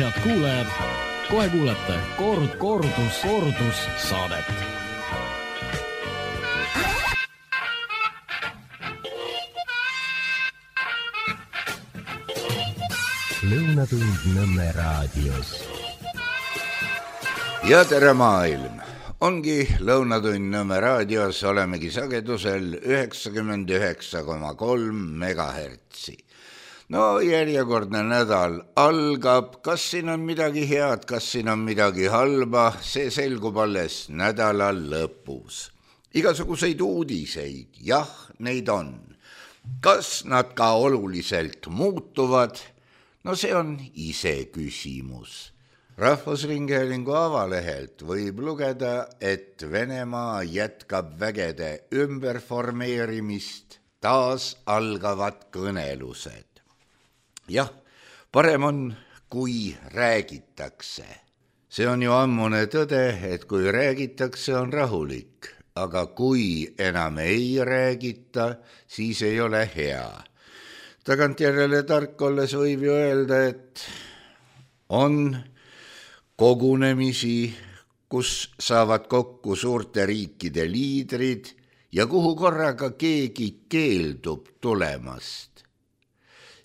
Head kuulajad, kohe kuulete kordus saadet. Lõunatund Nõmme raadios. Ja tere maailm! Ongi Lõunatund Nõmme raadios, olemegi sagedusel 99,3 megahertsi. No järjekordne nädal algab, kas siin on midagi head, kas siin on midagi halba, see selgub alles nädala lõpus. Igasuguseid uudiseid, jah, neid on. Kas nad ka oluliselt muutuvad? No see on ise küsimus. Rahvusringhäälingu avalehelt võib lugeda, et Venemaa jätkab vägede ümberformeerimist, taas algavad kõnelused. Jah, parem on, kui räägitakse. See on ju ammune tõde, et kui räägitakse, on rahulik, aga kui enam ei räägita, siis ei ole hea. Tagantjärele tark olles võib ju öelda, et on kogunemisi, kus saavad kokku suurte riikide liidrid ja kuhu korraga keegi keeldub tulemast.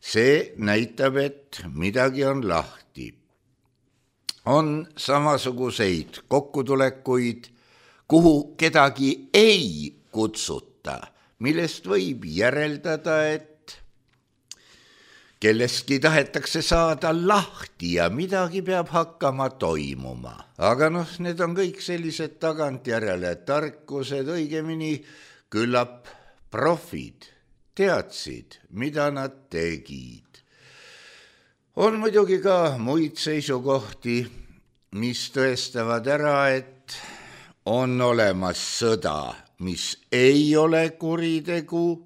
See näitab, et midagi on lahti. On samasuguseid kokkutulekuid, kuhu kedagi ei kutsuta, millest võib järeldada, et kellestki tahetakse saada lahti ja midagi peab hakkama toimuma. Aga need on kõik sellised tagantjärele tarkused, õigemini küllap profid teadsid, mida nad tegid. On muidugi ka muid seisukohti, mis tõestavad ära, et on olemas sõda, mis ei ole kuritegu,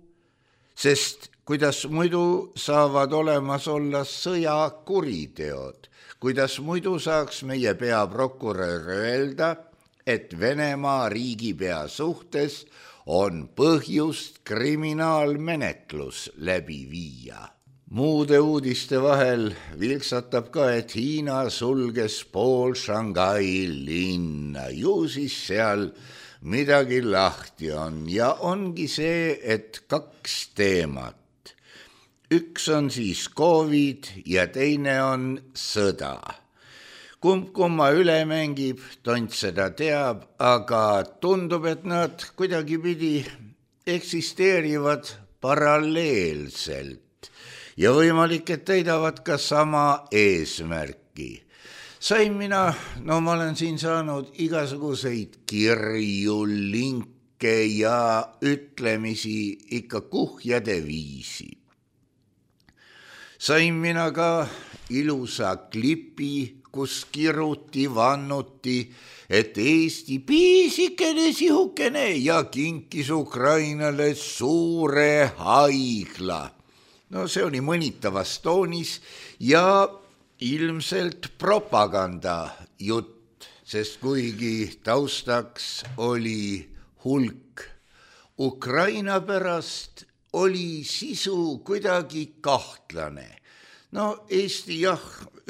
sest kuidas muidu saavad olemas olla sõjakuriteod? Kuidas muidu saaks meie peaprokurör öelda, et Venemaa riigipea suhtes on põhjust kriminaalmenetlus läbi viia? Muude uudiste vahel vilksatab ka, et Hiina sulges pool Shanghai linna. Ju siis seal midagi lahti on ja ongi see, et kaks teemat. Üks on siis COVID ja teine on sõda. Kumma üle mängib, tont seda teab, aga tundub, et nad kuidagipidi eksisteerivad paralleelselt ja võimalik, et täidavad ka sama eesmärki. Sain mina, ma olen siin saanud igasuguseid kirju, linke ja ütlemisi ikka kuhjade viisi. Sain mina ka ilusa klipi, kus kiruti, vannuti, et Eesti piisikene sihukene ja kinkis Ukrainale suure haigla. No see oli mõnitavas toonis ja ilmselt propaganda jutt, sest kuigi taustaks oli hulk Ukraina pärast, oli sisu kuidagi kahtlane. Eesti jah,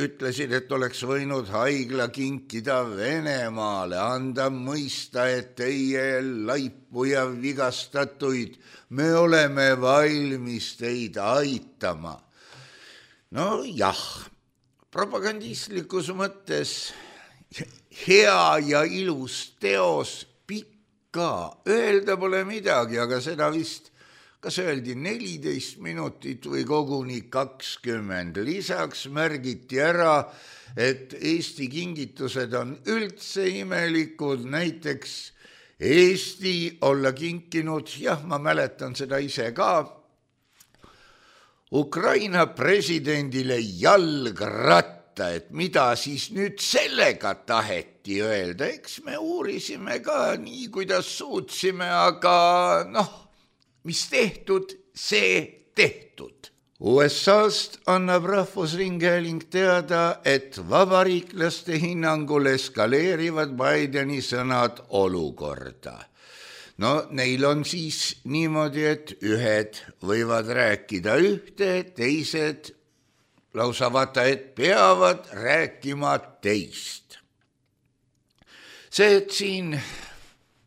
ütlesid, et oleks võinud haigla kinkida Venemaale, anda mõista, et teie laipu ja vigastatuid, me oleme valmis teid aitama. Jah, propagandistlikus mõttes hea ja ilus teos, pikka, öelda pole midagi, aga seda vist kas öeldi 14 minutit või koguni 20. Lisaks märgiti ära, et Eesti kingitused on üldse imelikud, näiteks Eesti olla kinkinud, jah, ma mäletan seda ise ka, Ukraina presidendile jalgratta, et mida siis nüüd sellega taheti öelda, eks me uurisime ka nii, kuidas suutsime, aga mis tehtud, see tehtud. USA-st annab Rahvusringhääling teada, et vabariiklaste hinnangul eskaleerivad Bideni sõnad olukorda. Neil on siis niimoodi, et ühed võivad rääkida ühte, teised lausa vaata, et peavad rääkima teist. See, et siin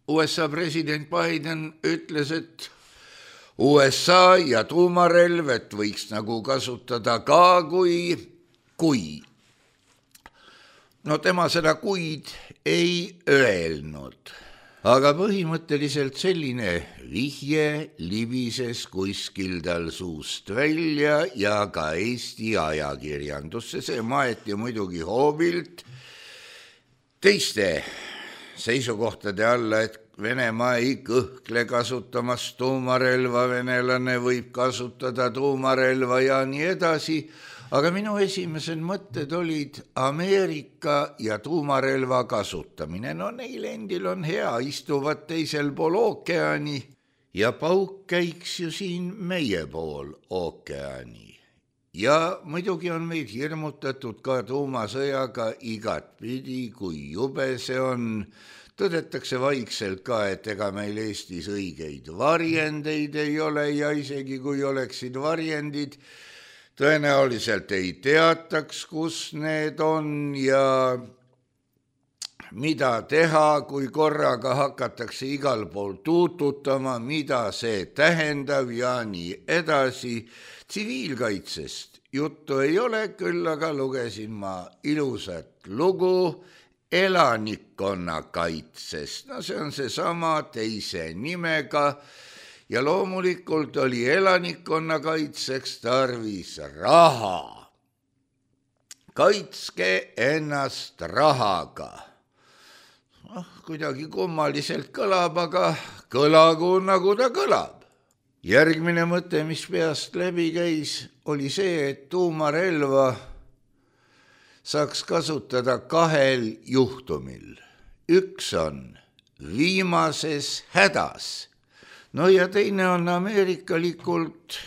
USA president Biden ütles, et USA ja tuumarelv, et võiks nagu kasutada ka kui. No tema seda kuid ei öelnud, aga põhimõtteliselt selline vihje libises kuskil tal suust välja ja ka Eesti ajakirjandusse. See maeti muidugi hoobilt teiste seisukohtade alla, et Venemaa ei kõhkle kasutamas tuumarelva, venelane võib kasutada tuumarelva ja nii edasi. Aga minu esimesed mõtted olid Ameerika ja tuumarelva kasutamine. No neil endil on hea, istuvad teisel pool ookeani ja pauk käiks ju siin meie pool ookeani. Ja muidugi on meid hirmutatud ka tuumasõjaga igatpidi, kui jube see on. Tõdetakse vaikselt ka, et ega meil Eestis õigeid varjendeid ei ole ja isegi kui oleksid varjendid, tõenäoliselt ei teataks, kus need on ja mida teha, kui korraga hakatakse igal pool tuututama, mida see tähendab ja nii edasi. Tsiviilkaitsest juttu ei ole, küll aga lugesin ma ilusat lugu elanikkonnakaitsest. No see on seesama teise nimega ja loomulikult oli elanikkonnakaitseks tarvis raha. Kaitske ennast rahaga. Kuidagi kummaliselt kõlab, aga kõlagu nagu ta kõlab. Järgmine mõte, mis peast läbi käis, oli see, et tuumarelva saaks kasutada kahel juhtumil. Üks on viimases hädas. No ja teine on ameerikalikult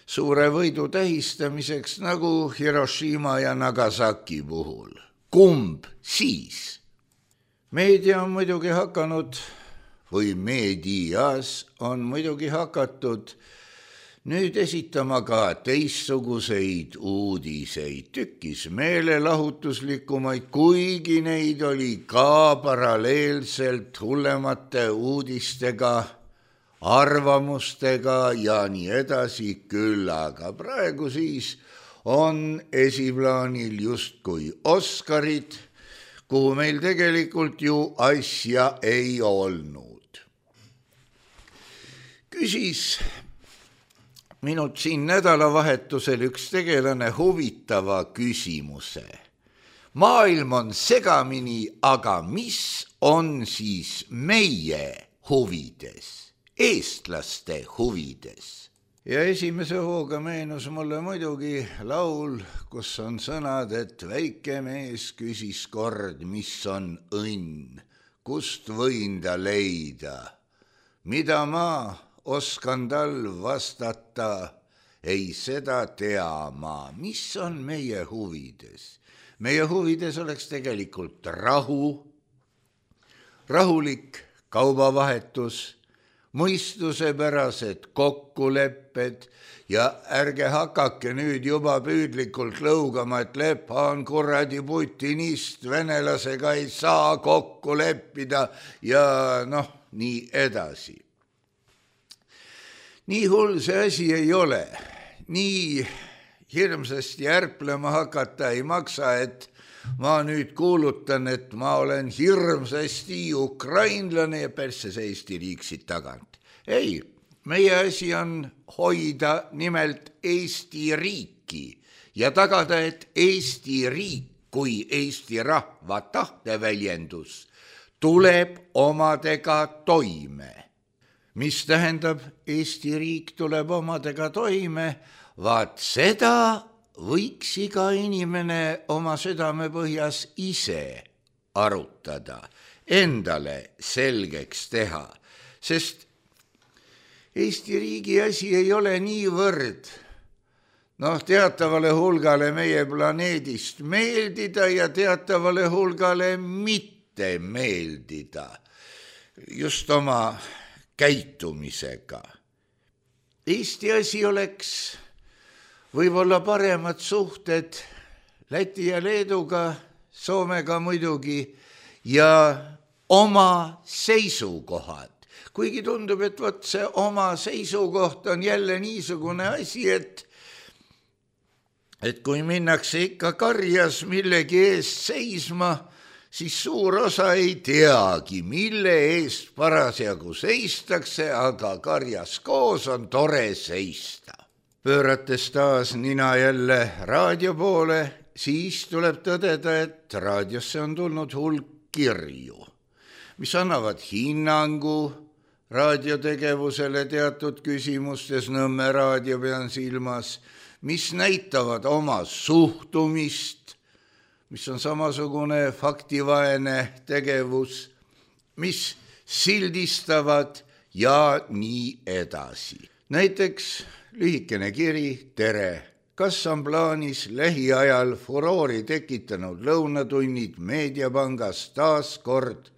suure võidu tähistamiseks nagu Hiroshima ja Nagasaki puhul. Kumb siis? Meedia on muidugi hakanud, või meedias on muidugi hakatud nüüd esitama ka teistsuguseid uudiseid, tükkis meelelahutuslikumaid, kuigi neid oli ka paralleelselt hullemate uudistega, arvamustega ja nii edasi küll, aga praegu siis on esiplaanil justkui Oscarid, kuhu meil tegelikult ju asja ei olnud. Küsis minult siin nädalavahetusel üks tegelane huvitava küsimuse. Maailm on segamini, aga mis on siis meie huvides, eestlaste huvides? Ja esimese hooga meenus mulle muidugi laul, kus on sõnad, et väike mees küsis kord, mis on õnn, kust võin ta leida, mida ma oskan tal vastata, ei seda tea ma, mis on meie huvides. Meie huvides oleks tegelikult rahulik kaubavahetus, mõistusepärased kokkulepped ja ärge hakake nüüd juba püüdlikult lõugama, et Lepa on kuradi putinist, venelasega ei saa kokku leppida ja nii edasi. Nii hull see asi ei ole, nii hirmsasti ärplema hakata ei maksa, et ma nüüd kuulutan, et ma olen hirmsasti ukrainlane ja persse see Eesti riik siit tagant. Ei, meie asi on hoida nimelt Eesti riiki ja tagada, et Eesti riik kui Eesti rahva tahteväljendus tuleb omadega toime. Mis tähendab, Eesti riik tuleb omadega toime, vaat seda võiks iga inimene oma südamepõhjas ise arutada, endale selgeks teha, sest Eesti riigi asi ei ole niivõrd teatavale hulgale meie planeedist meeldida ja teatavale hulgale mitte meeldida, just oma käitumisega. Eesti asi oleks võib-olla paremad suhted Läti ja Leeduga, Soomega muidugi ja oma seisukohad. Kuigi tundub, et võt see oma seisukoht on jälle niisugune asi, et kui minnakse ikka karjas millegi eest seisma, siis suur osa ei teagi, mille eest parasjagu seistakse, aga karjas koos on tore seista. Pöörates taas nina jälle raadio poole, siis tuleb tõdeda, et raadiosse on tulnud hulk kirju, mis annavad hinnangu raadiotegevusele teatud küsimustes, Nõmme raadio pean silmas, mis näitavad oma suhtumist, mis on samasugune faktivaene tegevus, mis sildistavad ja nii edasi. Näiteks lühikene kiri, tere! Kas on plaanis lähiajal furoori tekitanud lõunatunnid Meediapangas taas kord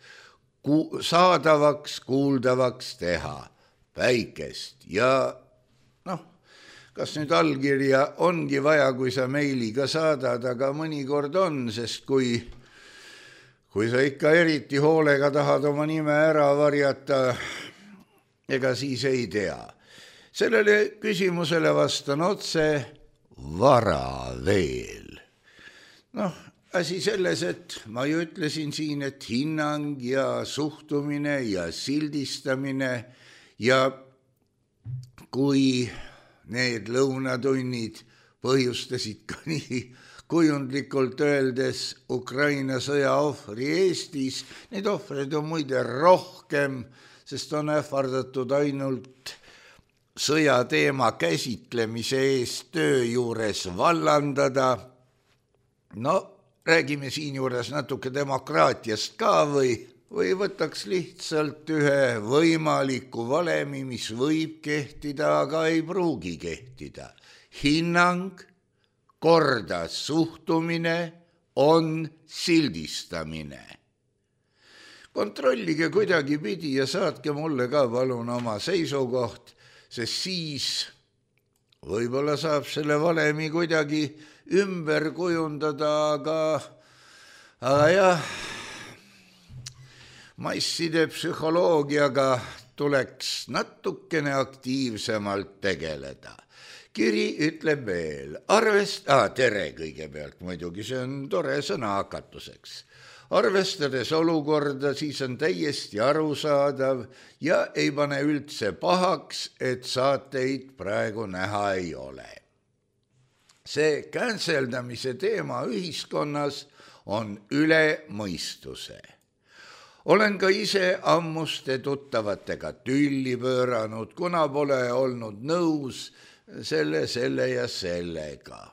saadavaks, kuuldavaks teha? Päikest ja kas nüüd allkirja ongi vaja, kui sa meiliga saadad, aga mõnikord on, sest kui sa ikka eriti hoolega tahad oma nime ära varjata, ega siis ei tea. Sellele küsimusele vastan otse, vara veel. Asi selles, et ma ju ütlesin siin, et hinnang ja suhtumine ja sildistamine ja kui need lõunatunnid põhjustasid ka nii kujundlikult öeldes Ukraina sõja ohvri Eestis, neid ohvreid on muide rohkem, sest on ähvardatud ainult sõjateema käsitlemise eest töö juures vallandada. Räägime siin juures natuke demokraatiast ka või võtaks lihtsalt ühe võimaliku valemi, mis võib kehtida, aga ei pruugi kehtida. Hinnang, korda suhtumine on sildistamine. Kontrollige kuidagi pidi ja saatke mulle ka palun oma seisukoht, sest siis võib-olla saab selle valemi kuidagi ümber kujundada, aga jah, masside psühholoogiaga tuleks natukene aktiivsemalt tegeleda. Kiri ütleb veel, tere kõigepealt muidugi, see on tore sõna hakatuseks. Arvestades olukorda, siis on täiesti arusaadav ja ei pane üldse pahaks, et saateid praegu näha ei ole. See canceldamise teema ühiskonnas on üle mõistuse. Olen ka ise ammuste tuttavatega tülli pööranud, kuna pole olnud nõus selle ja sellega.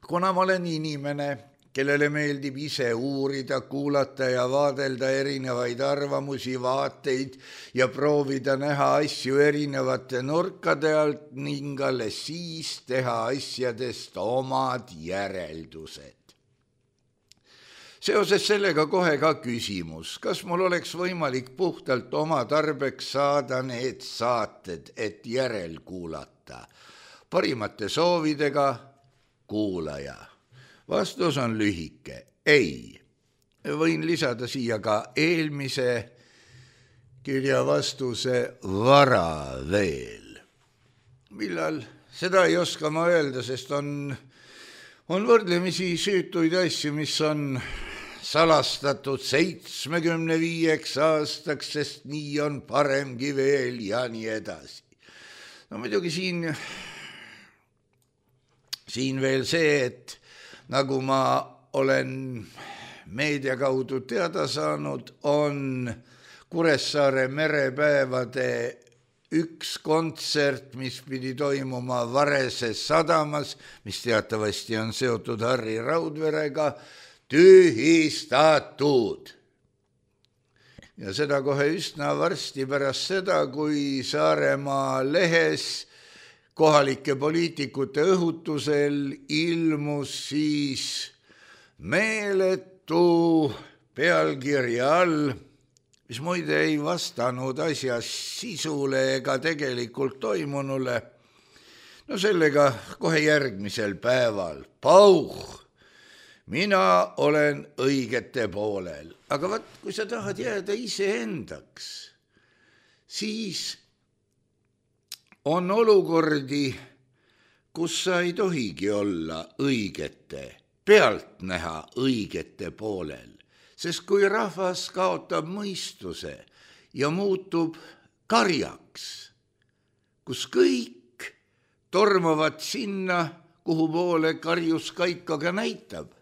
Kuna ma olen inimene, kellele meeldib ise uurida, kuulata ja vaadelda erinevaid arvamusi, vaateid ja proovida näha asju erinevate nurkade alt ning alles siis teha asjadest omad järeldused. Seoses sellega kohe ka küsimus, kas mul oleks võimalik puhtalt oma tarbeks saada need saated, et järel kuulata? Parimate soovidega, kuulaja. Vastus on lühike, ei. Võin lisada siia ka eelmise kirja vastuse vara veel. Millal? Seda ei oska ma öelda, sest on võrdlemisi süütuid asju, mis on salastatud 75 aastaks, sest nii on paremgi veel ja nii edasi. Muidugi siin veel see, et nagu ma olen meedia kaudu teada saanud, on Kuressaare merepäevade üks kontsert, mis pidi toimuma Varese sadamas, mis teatavasti on seotud Harri Raudverega, tühistatud. Ja seda kohe üsna varsti pärast seda, kui Saaremaa lehes kohalike poliitikute õhutusel ilmus siis meeletu pealkirja all, mis muide ei vastanud asja sisule ega tegelikult toimunule. no sellega kohe järgmisel päeval, pauh, mina olen õigete poolel, aga vaat, kui sa tahad jääda iseendaks, siis on olukordi, kus sa ei tohigi olla õigete, pealtnäha õigete poolel, sest kui rahvas kaotab mõistuse ja muutub karjaks, kus kõik tormavad sinna, kuhu poole karjus kaikaga näitab,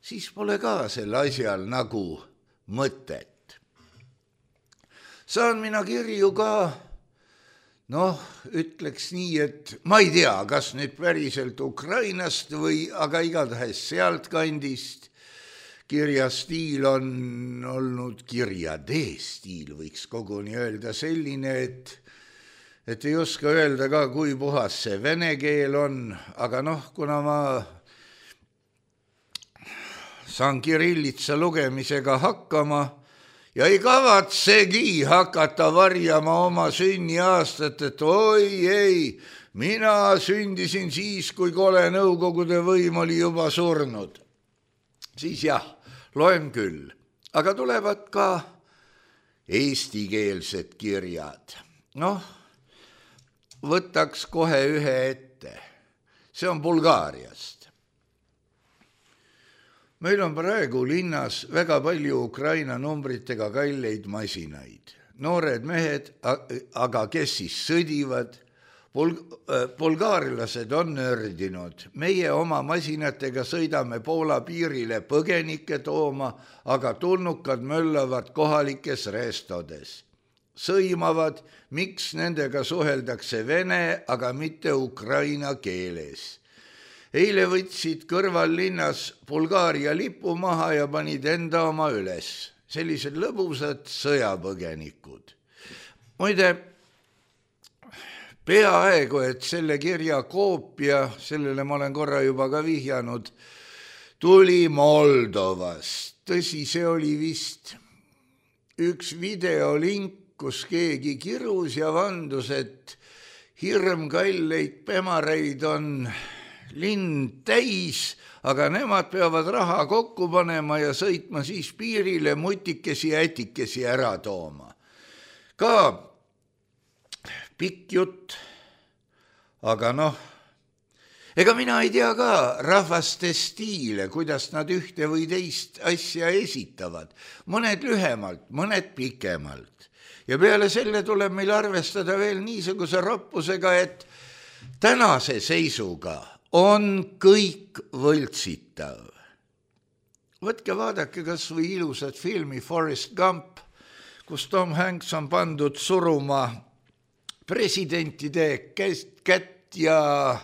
siis pole ka sel asjal nagu mõtet. Saan mina kirju ka, ütleks nii, et ma ei tea, kas nüüd päriselt Ukrainast või aga igatahes sealtkandist. Kirjastiil on olnud, kirjatee stiil võiks koguni öelda selline, et ei oska öelda ka, kui puhas see vene keel on, aga kuna ma saan kirillitsa lugemisega hakkama ja ei kavatsegi hakata varjama oma sünniaastat, et oi ei, mina sündisin siis, kui kole Nõukogude võim oli juba surnud. Siis jah, loen küll, aga tulevad ka eestikeelsed kirjad. Võtaks kohe ühe ette. See on Bulgaariast. Meil on praegu linnas väga palju Ukraina numbritega kalleid masinaid. Noored mehed, aga kes siis sõdivad? Bulgaarlased on nördinud. Meie oma masinatega sõidame Poola piirile põgenikke tooma, aga tulnukad möllavad kohalikes restodes. Sõimavad, miks nendega suheldakse vene, aga mitte ukraina keeles. Eile võtsid kõrvallinnas Bulgaaria lipu maha ja panid enda oma üles. Sellised lõbusad sõjapõgenikud. Muide, peaaegu, et selle kirja koopia, sellele ma olen korra juba ka vihjanud, tuli Moldovast. Tõsi, see oli vist üks videolink, kus keegi kirus ja vandus, et hirmkalleid pemaraid on linn täis, aga nemad peavad raha kokku panema ja sõitma siis piirile mutikesi ja ätikesi ära tooma. Ka pikk jutt, aga ega mina ei tea ka rahvaste stiile, kuidas nad ühte või teist asja esitavad. Mõned lühemalt, mõned pikemalt. Ja peale selle tuleb meil arvestada veel niisuguse roppusega, et tänase seisuga on kõik võltsitav. Võtke vaadake kas või ilusat filmi Forrest Gump, kus Tom Hanks on pandud suruma presidentide kätt ja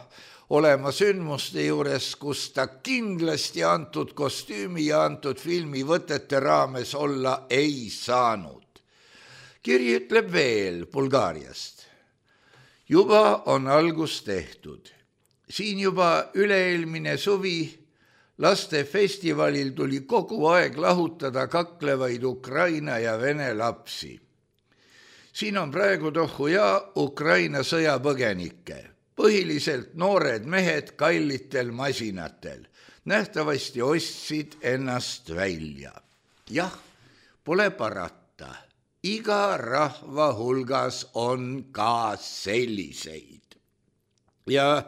olema sündmuste juures, kus ta kindlasti antud kostüümi ja antud filmi võtete raames olla ei saanud. Kiri ütleb veel Bulgaariast. Juba on algus tehtud. Siin juba üleelmine suvi lastefestivalil tuli kogu aeg lahutada kaklevaid Ukraina ja vene lapsi. Siin on praegu tohuja Ukraina sõjapõgenikke, põhiliselt noored mehed kallitel masinatel. Nähtavasti ostsid ennast välja. Jah, pole parata. Iga rahva hulgas on ka selliseid. Ja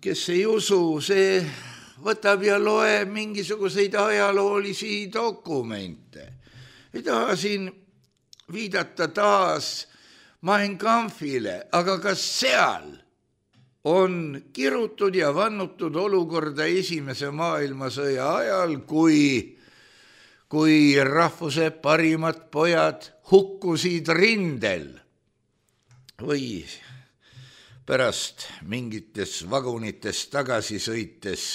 kes ei usu, see võtab ja loeb mingisuguseid ajaloolisi dokumente. Ei taha siin viidata taas Mein Kampfile, aga kas seal on kirutud ja vannutud olukorda Esimese maailmasõja ajal, kui rahvuse parimad pojad hukkusid rindel või pärast mingites vagunites tagasi sõites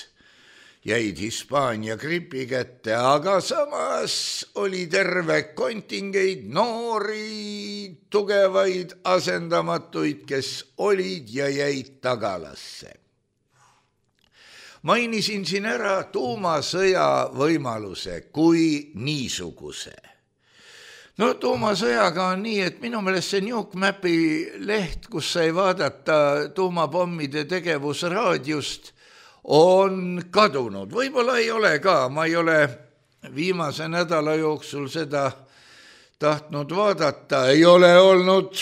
jäid Hispaania gripi kätte, aga samas oli terve kontingeid noori, tugevaid, asendamatuid, kes olid ja jäid tagalasse. Mainisin siin ära tuumasõja võimaluse kui niisuguse. no tuumasõjaga on nii, et minu meelest see Newsmapi leht, kus sai vaadata tuumapommide tegevus raadiost, on kadunud. Võib-olla ei ole ka, ma ei ole viimase nädala jooksul seda tahtnud vaadata, ei ole olnud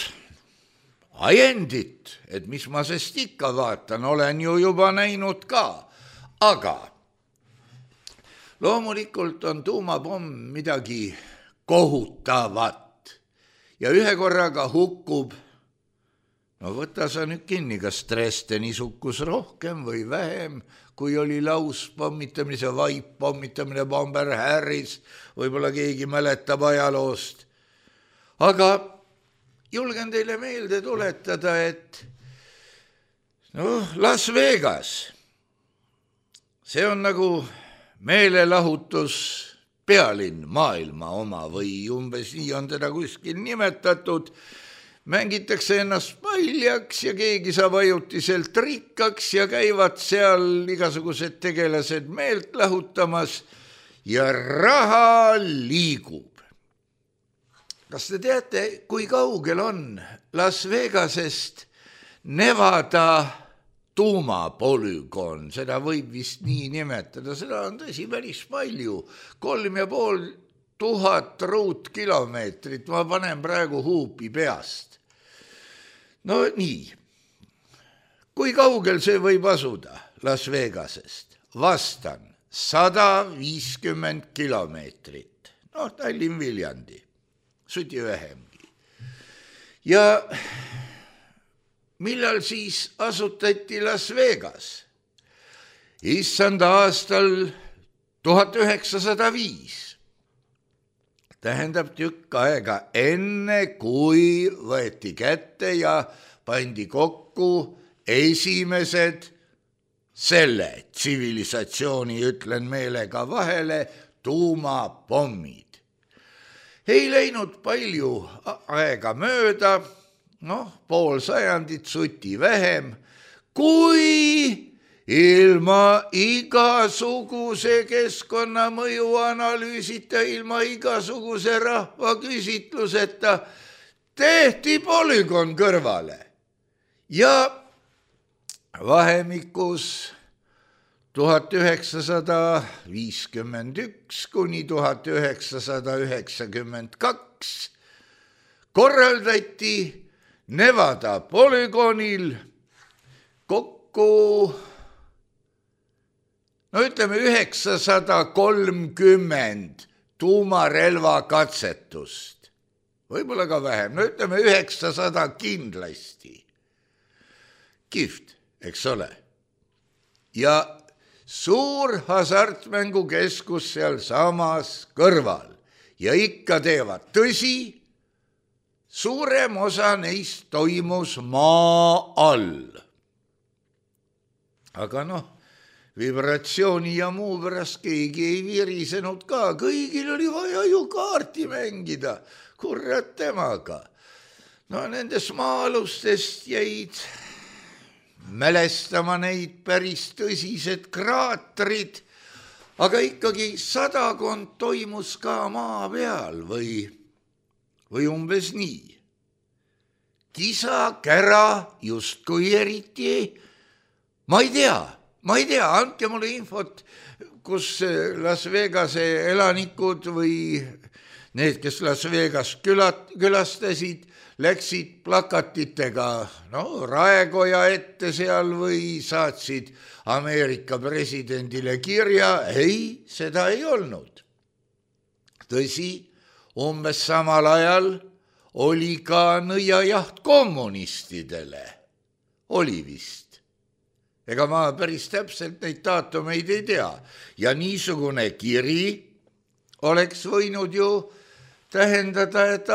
ajendit, et mis ma sest ikka vaatan, olen ju juba näinud ka, aga loomulikult on tuumapomm midagi kohutavat ja ühe korraga hukkub, no võta sa nüüd kinni, kas Dresdeni sukkus rohkem või vähem, kui oli lauspommitamine, see vaippommitamine, Bomber Harris, võib-olla keegi mäletab ajaloost. Aga julgen teile meelde tuletada, et Las Vegas, see on nagu meelelahutus pealinn maailma oma või umbes nii on teda kuskil nimetatud, mängitakse ennast paljaks ja keegi saab ajutiselt rikkaks ja käivad seal igasugused tegelased meelt lahutamas ja raha liigub. Kas te teate, kui kaugel on Las Vegasest Nevada tuumapolügoon, seda võib vist nii nimetada, seda on tõsi päris palju, 3500 ruutkilomeetrit, ma panen praegu huupi peast. No nii, kui kaugel see võib asuda Las Vegasest? Vastan, 150 kilomeetrit, Tallinn-Viljandi, suti vähemgi. Ja millal siis asutati Las Vegas? Issanda aastal 1905. Tähendab tükk aega enne, kui võeti kätte ja pandi kokku esimesed selle tsivilisatsiooni, ütlen meelega vahele, tuumapommid. Ei läinud palju aega mööda, pool sajandit, suti vähem, kui ilma igasuguse keskkonnamõju analüüsita, ilma igasuguse rahvaküsitluseta tehti polügoon kõrvale. Ja vahemikus 1951 kuni 1992 korraldati Nevada polügoonil kokku, ütleme 930 tuumarelva katsetust, võib-olla ka vähem, ütleme 900 kindlasti. Kihvt, eks ole. Ja suur hasartmängukeskus seal samas kõrval ja ikka teevad, tõsi, suurem osa neist toimus maa all. Aga vibratsiooni ja muu pärast keegi ei virisenud ka, kõigil oli vaja ju kaarti mängida, kurat temaga. Nendes maa-alustest jäid mälestama neid päris tõsised kraatrid, aga ikkagi 100 toimus ka maa peal või umbes nii. Kisa, kära, justkui eriti, ma ei tea, andke mulle infot, kus Las Vegase elanikud või need, kes Las Vegas külastasid, läksid plakatitega raekoja ette seal või saatsid Ameerika presidendile kirja. Ei, seda ei olnud. Tõsi, umbes samal ajal oli ka nõiajaht kommunistidele. Oli vist. Ega ma päris täpselt neid daatumeid ei tea. Ja niisugune kiri oleks võinud ju tähendada, et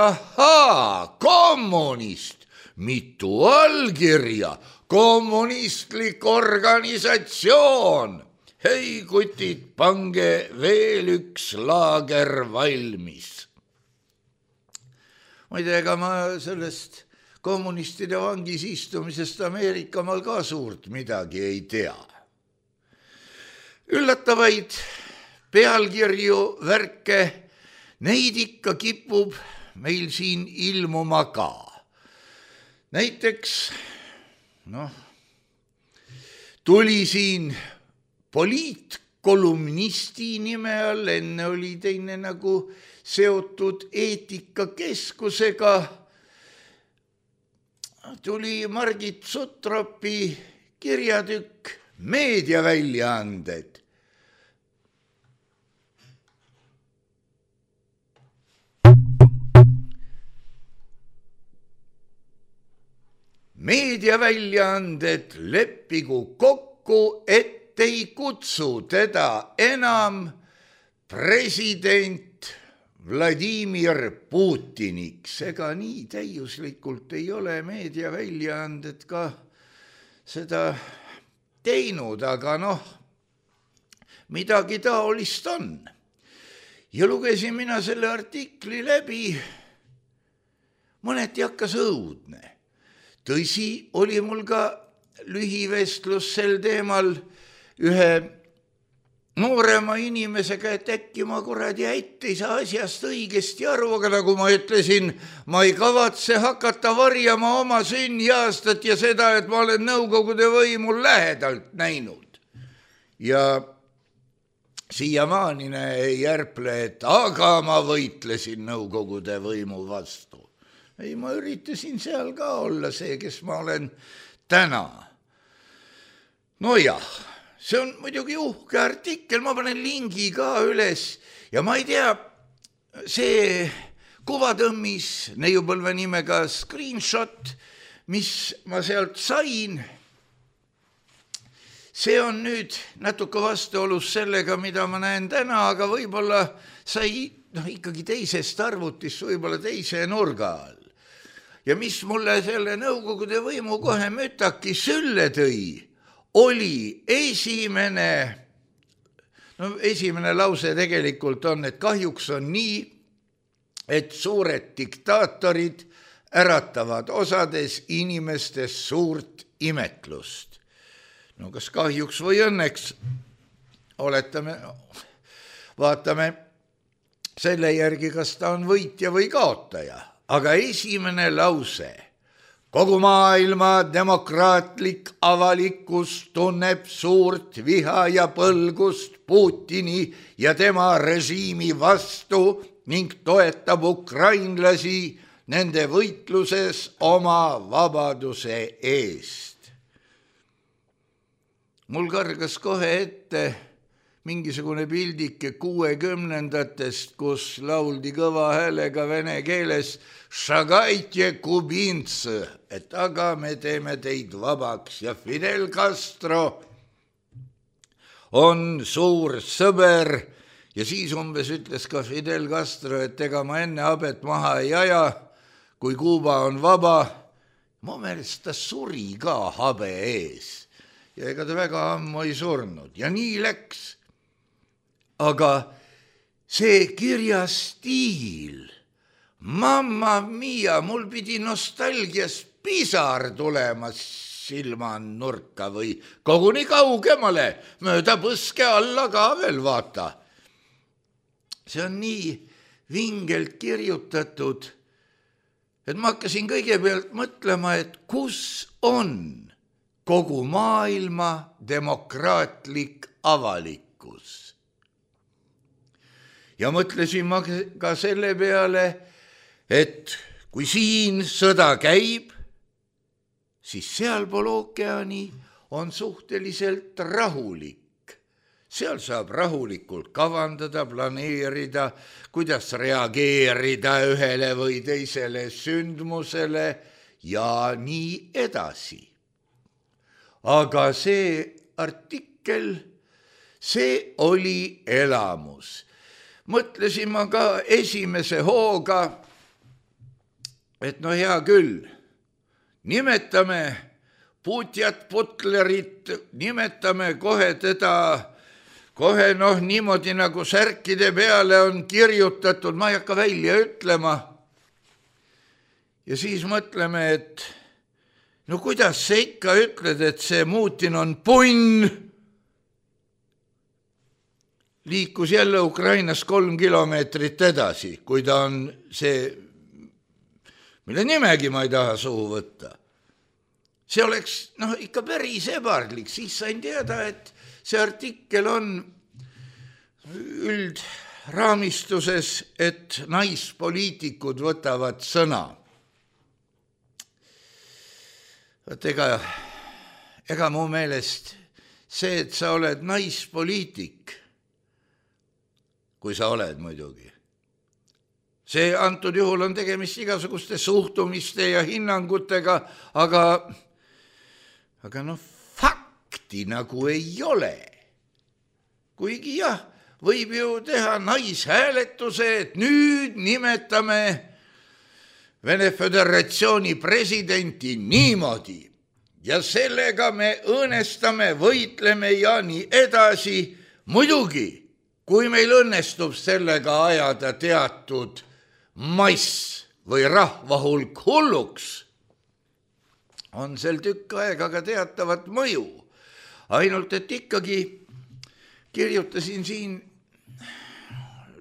kommunist, mitu allkirja, kommunistlik organisatsioon. Hei kutid, pange veel üks laager valmis. Ma ei tea, ega ma sellest kommunistide vangis istumisest Ameerikamaal ka suurt midagi ei tea. Üllatavaid pealkirju, värke, neid ikka kipub meil siin ilmuma ka. Näiteks, tuli siin poliitkolumnisti nime all, enne oli teine nagu seotud eetikakeskusega, tuli Margit Sutropi kirjatükk Meediaväljaanded. Meediaväljaanded leppigu kokku, et ei kutsu teda enam president Vladimir Putiniks. Ega nii täiuslikult ei ole meediaväljaanded ka seda teinud, aga midagi taolist on. Ja lugesin mina selle artikli läbi, mõneti hakkas õudne. Tõsi, oli mul ka lühivestlus sel teemal ühe noorema inimesega, et äkki ma kuradi ei saa asjast õigesti aru, aga nagu ma ütlesin, ma ei kavatse hakata varjama oma sünniaastat ja seda, et ma olen Nõukogude võimu lähedalt näinud. Ja siiamaani ei järple, et aga ma võitlesin Nõukogude võimu vastu. Ei, ma üritasin seal ka olla see, kes ma olen täna. No jah, see on muidugi uhke artikkel, ma panen lingi ka üles ja ma ei tea, see kuvatõmmis neiupõlve nimega screenshot, mis ma sealt sain, see on nüüd natuke vastuolus sellega, mida ma näen täna, aga võib-olla sai ikkagi teisest arvutist, võib-olla teise nurga all. Ja mis mulle selle Nõukogude võimu kohe mütaki sülle tõi, oli esimene lause tegelikult on, et kahjuks on nii, et suured diktaatorid äratavad osades inimestes suurt imetlust. No kas kahjuks või õnneks, vaatame selle järgi, kas ta on võitja või kaotaja. Aga esimene lause, kogu maailma demokraatlik avalikkus tunneb suurt viha ja põlgust Putini ja tema režiimi vastu ning toetab ukrainlasi nende võitluses oma vabaduse eest. Mul kargas kohe ette mingisugune pildike 60-ndatest, kus lauldi kõva häälega vene keeles Šagaitje kubints, et aga me teeme teid vabaks ja Fidel Castro on suur sõber ja siis umbes ütles ka Fidel Castro, et ega ma enne habet maha ei aja, kui Kuuba on vaba. Mu meelest ta suri ka habe ees ja ega ta väga ammu ei surnud ja nii läks. Aga see kirjastiil, mamma mia, mul pidi nostalgias pisar tulema silma nurka või koguni kaugemale, mööda põske alla ka veel vaata. See on nii vingelt kirjutatud, et ma hakkasin kõigepealt mõtlema, et kus on kogu maailma demokraatlik avalikkus. Ja mõtlesin ma ka selle peale, et kui siin sõda käib, siis sealpool ookeani on suhteliselt rahulik. Seal saab rahulikult kavandada, planeerida, kuidas reageerida ühele või teisele sündmusele ja nii edasi. Aga see artikkel, see oli elamus. Mõtlesin ma ka esimese hooga, et no hea küll, nimetame Putjat Putlerit, nimetame kohe teda, kohe niimoodi nagu särkide peale on kirjutatud, ma ei hakka välja ütlema. Ja siis mõtleme, et no kuidas sa ikka ütled, et see Putin on punn, liikus jälle Ukrainas 3 kilomeetrit edasi, kui ta on see mille nimegi ma ei taha suhu võtta. See oleks ikka päris ebardlik, siis sain teada, et see artikkel on üldraamistuses, et naispoliitikud võtavad sõna. Ega mu meelest see, et sa oled naispoliitik, kui sa oled muidugi, see antud juhul on tegemist igasuguste suhtumiste ja hinnangutega, aga fakti nagu ei ole. Kuigi jah, võib ju teha naishääletuse, et nüüd nimetame Vene Föderatsiooni presidenti niimoodi ja sellega me õõnestame, võitleme ja nii edasi. Muidugi, kui meil õnnestub sellega ajada teatud mass või rahvahulk hulluks, on sel tükk aega ka teatavat mõju. Ainult, et ikkagi kirjutasin siin,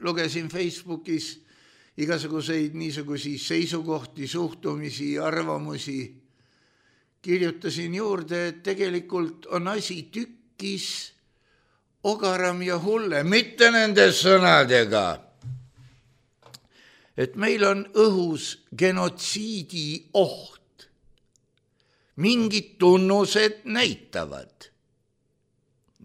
lugesin Facebookis igasuguseid niisugusi seisukohti, suhtumisi, arvamusi. Kirjutasin juurde, et tegelikult on asi tükkis ogaram ja hulle, mitte nende sõnadega. Et meil on õhus genotsiidi oht. Mingid tunnused näitavad.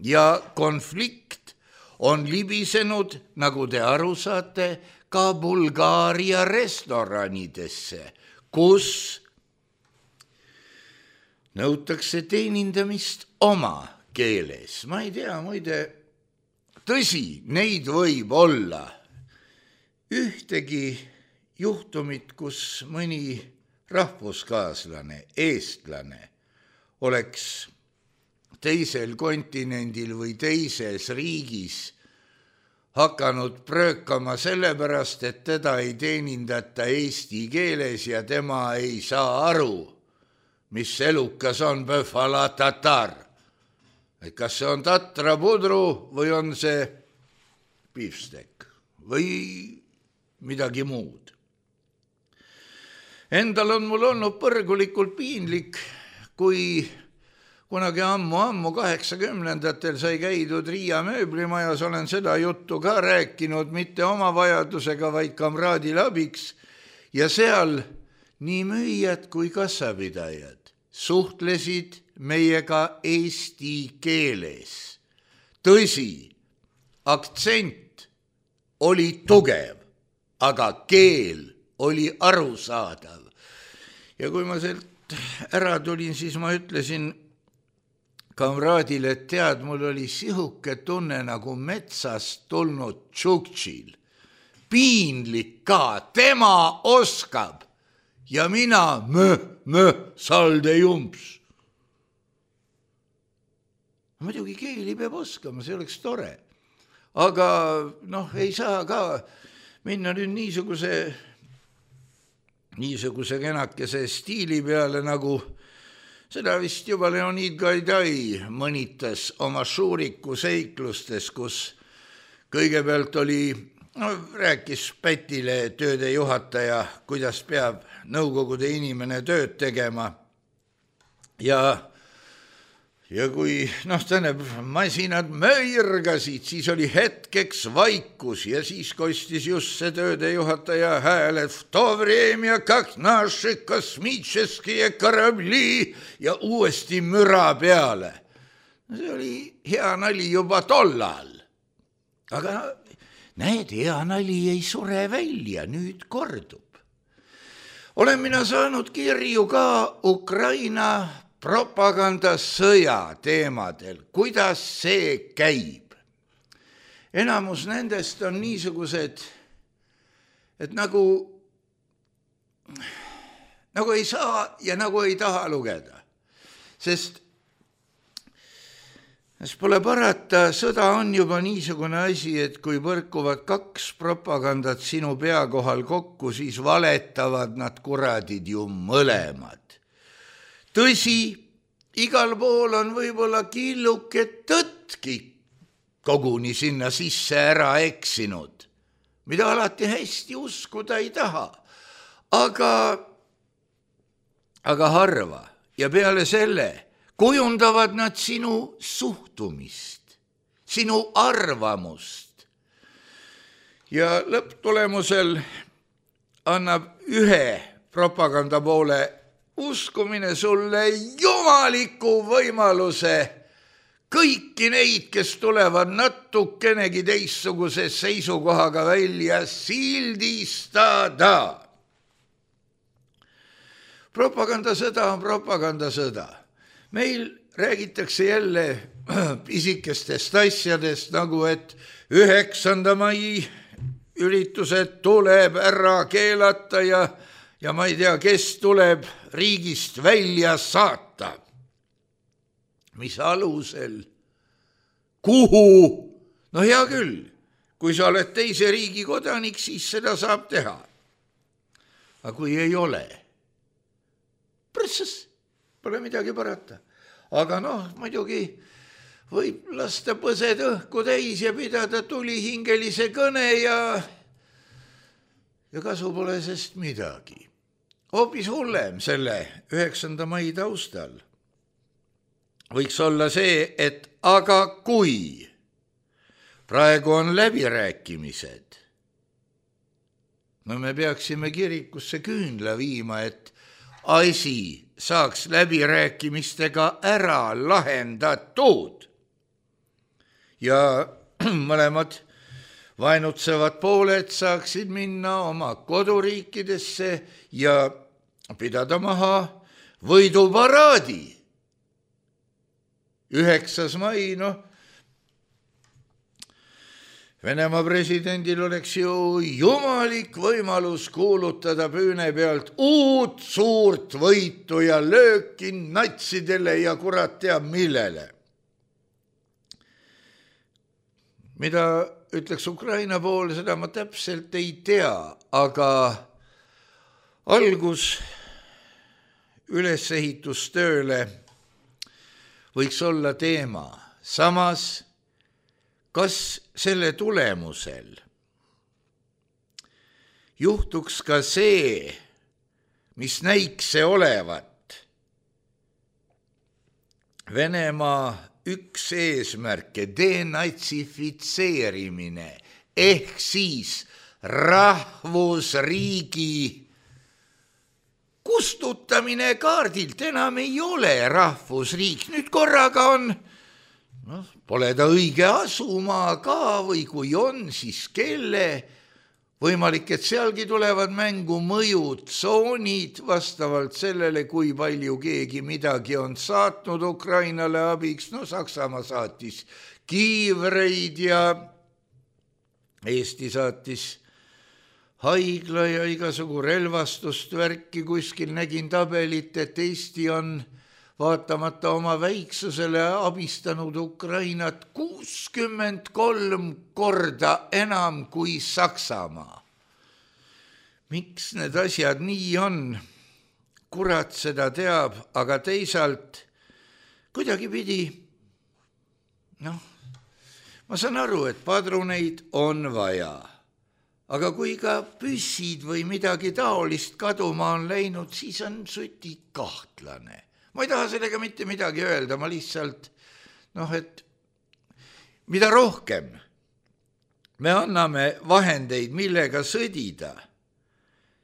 Ja konflikt on libisenud, nagu te aru saate, ka Bulgaaria restoranidesse, kus nõutakse teenindamist oma keeles. Ma ei tea, muide, tõsi, neid võib olla. Ühtegi juhtumit, kus mõni rahvuskaaslane, eestlane oleks teisel kontinendil või teises riigis hakanud pröökama sellepärast, et teda ei teenindata eesti keeles ja tema ei saa aru, mis elukas on Böfala tatar. Et kas see on tatra pudru või on see beefsteak või midagi muud. Endal on mul olnud põrgulikult piinlik, kui kunagi ammu 80-ndatel sai käidud Riia mööblimajas, olen seda juttu ka rääkinud, mitte oma vajadusega, vaid kamraadile abiks, ja seal nii müüjad kui kassapidajad suhtlesid meiega eesti keeles. Tõsi, aktsent oli tugev, aga keel oli arusaadav. Ja kui ma sealt ära tulin, siis ma ütlesin kamraadile, et tead, mul oli sihuke tunne nagu metsast tulnud tšuktšil. Piinlik ka, tema oskab ja mina salde jumps. Muidugi keeli peab oskama, see oleks tore. Aga ei saa ka minna nüüd niisuguse kenakese stiili peale, nagu seda vist juba Leonid Gaidai mõnitas oma Šuriku seiklustes, kus kõigepealt rääkis Pätile tööde juhataja, kuidas peab nõukogude inimene tööd tegema. Ja kui masinad möirgasid, siis oli hetkeks vaikus ja siis kostis just see tööde juhataja hääl, et v to vremя как наши космические корабли ja uuesti müra peale. See oli hea nali juba tollal. Aga näed, hea nali ei sure välja, nüüd kordub. Olen mina saanud kirju ka Ukraina propagandasõja teemadel, kuidas see käib. Enamus nendest on niisugused, et nagu ei saa ja nagu ei taha lugeda. Sest pole parata, sõda on juba niisugune asi, et kui põrkuvad kaks propagandat sinu pea kohal kokku, siis valetavad nad kuradid ju mõlemad. Tõsi, igal pool on võib-olla killuke tõtki koguni sinna sisse ära eksinud, mida alati hästi uskuda ei taha. Aga aga harva ja peale selle kujundavad nad sinu suhtumist, sinu arvamust. Ja lõpptulemusel annab ühe propaganda poole uskumine sulle jumaliku võimaluse kõiki neid, kes tulevad natukenegi teistsuguse seisukohaga välja, sildistada. Propagandasõda on propagandasõda. Meil räägitakse jälle pisikestest asjadest, nagu et 9. mai üritused tuleb ära keelata ja ma ei tea, kes tuleb riigist välja saata. Mis alusel? Kuhu? No hea küll, kui sa oled teise riigi kodanik, siis seda saab teha. Aga kui ei ole, prõssas, pole midagi parata. Aga muidugi võib lasta põsed õhku täis ja pidada tulihingelise kõne ja kasu pole sest midagi. Hoopis hullem selle 9. mai taustal võiks olla see, et aga kui praegu on läbirääkimised, me peaksime kirikusse küünla viima, et asi saaks läbirääkimistega ära lahendatud ja mõlemad vaenutsevad pooled saaksid minna oma koduriikidesse ja pidada maha võiduparaadi. 9. mai, Venemaa presidendil oleks ju jumalik võimalus kuulutada püüne pealt uut suurt võitu ja lööki natsidele ja kurat teab millele. Mida ütleks Ukraina pool, seda ma täpselt ei tea, aga algus ülesehitustööle võiks olla teema. Samas, kas selle tulemusel juhtuks ka see, mis näiks see olevat Venemaa üks eesmärke, denatsifitseerimine ehk siis rahvusriigi kustutamine kaardilt, enam ei ole rahvusriik, nüüd korraga on, pole ta õige asumaa ka või kui on, siis kelle, võimalik, et sealgi tulevad mängu mõjutsoonid vastavalt sellele, kui palju keegi midagi on saatnud Ukrainale abiks, Saksamaa saatis kiivreid ja Eesti saatis haigla ja igasugu relvastust värki, kuskil nägin tabelit, et Eesti on vaatamata oma väiksusele abistanud Ukrainat 63 korda enam kui Saksamaa. Miks need asjad nii on? Kurat seda teab, aga teisalt kuidagi pidi, ma saan aru, et padruneid on vaja. Aga kui ka püssid või midagi taolist kaduma on läinud, siis on suti kahtlane. Ma ei taha sellega mitte midagi öelda, ma lihtsalt, et mida rohkem me anname vahendeid, millega sõdida,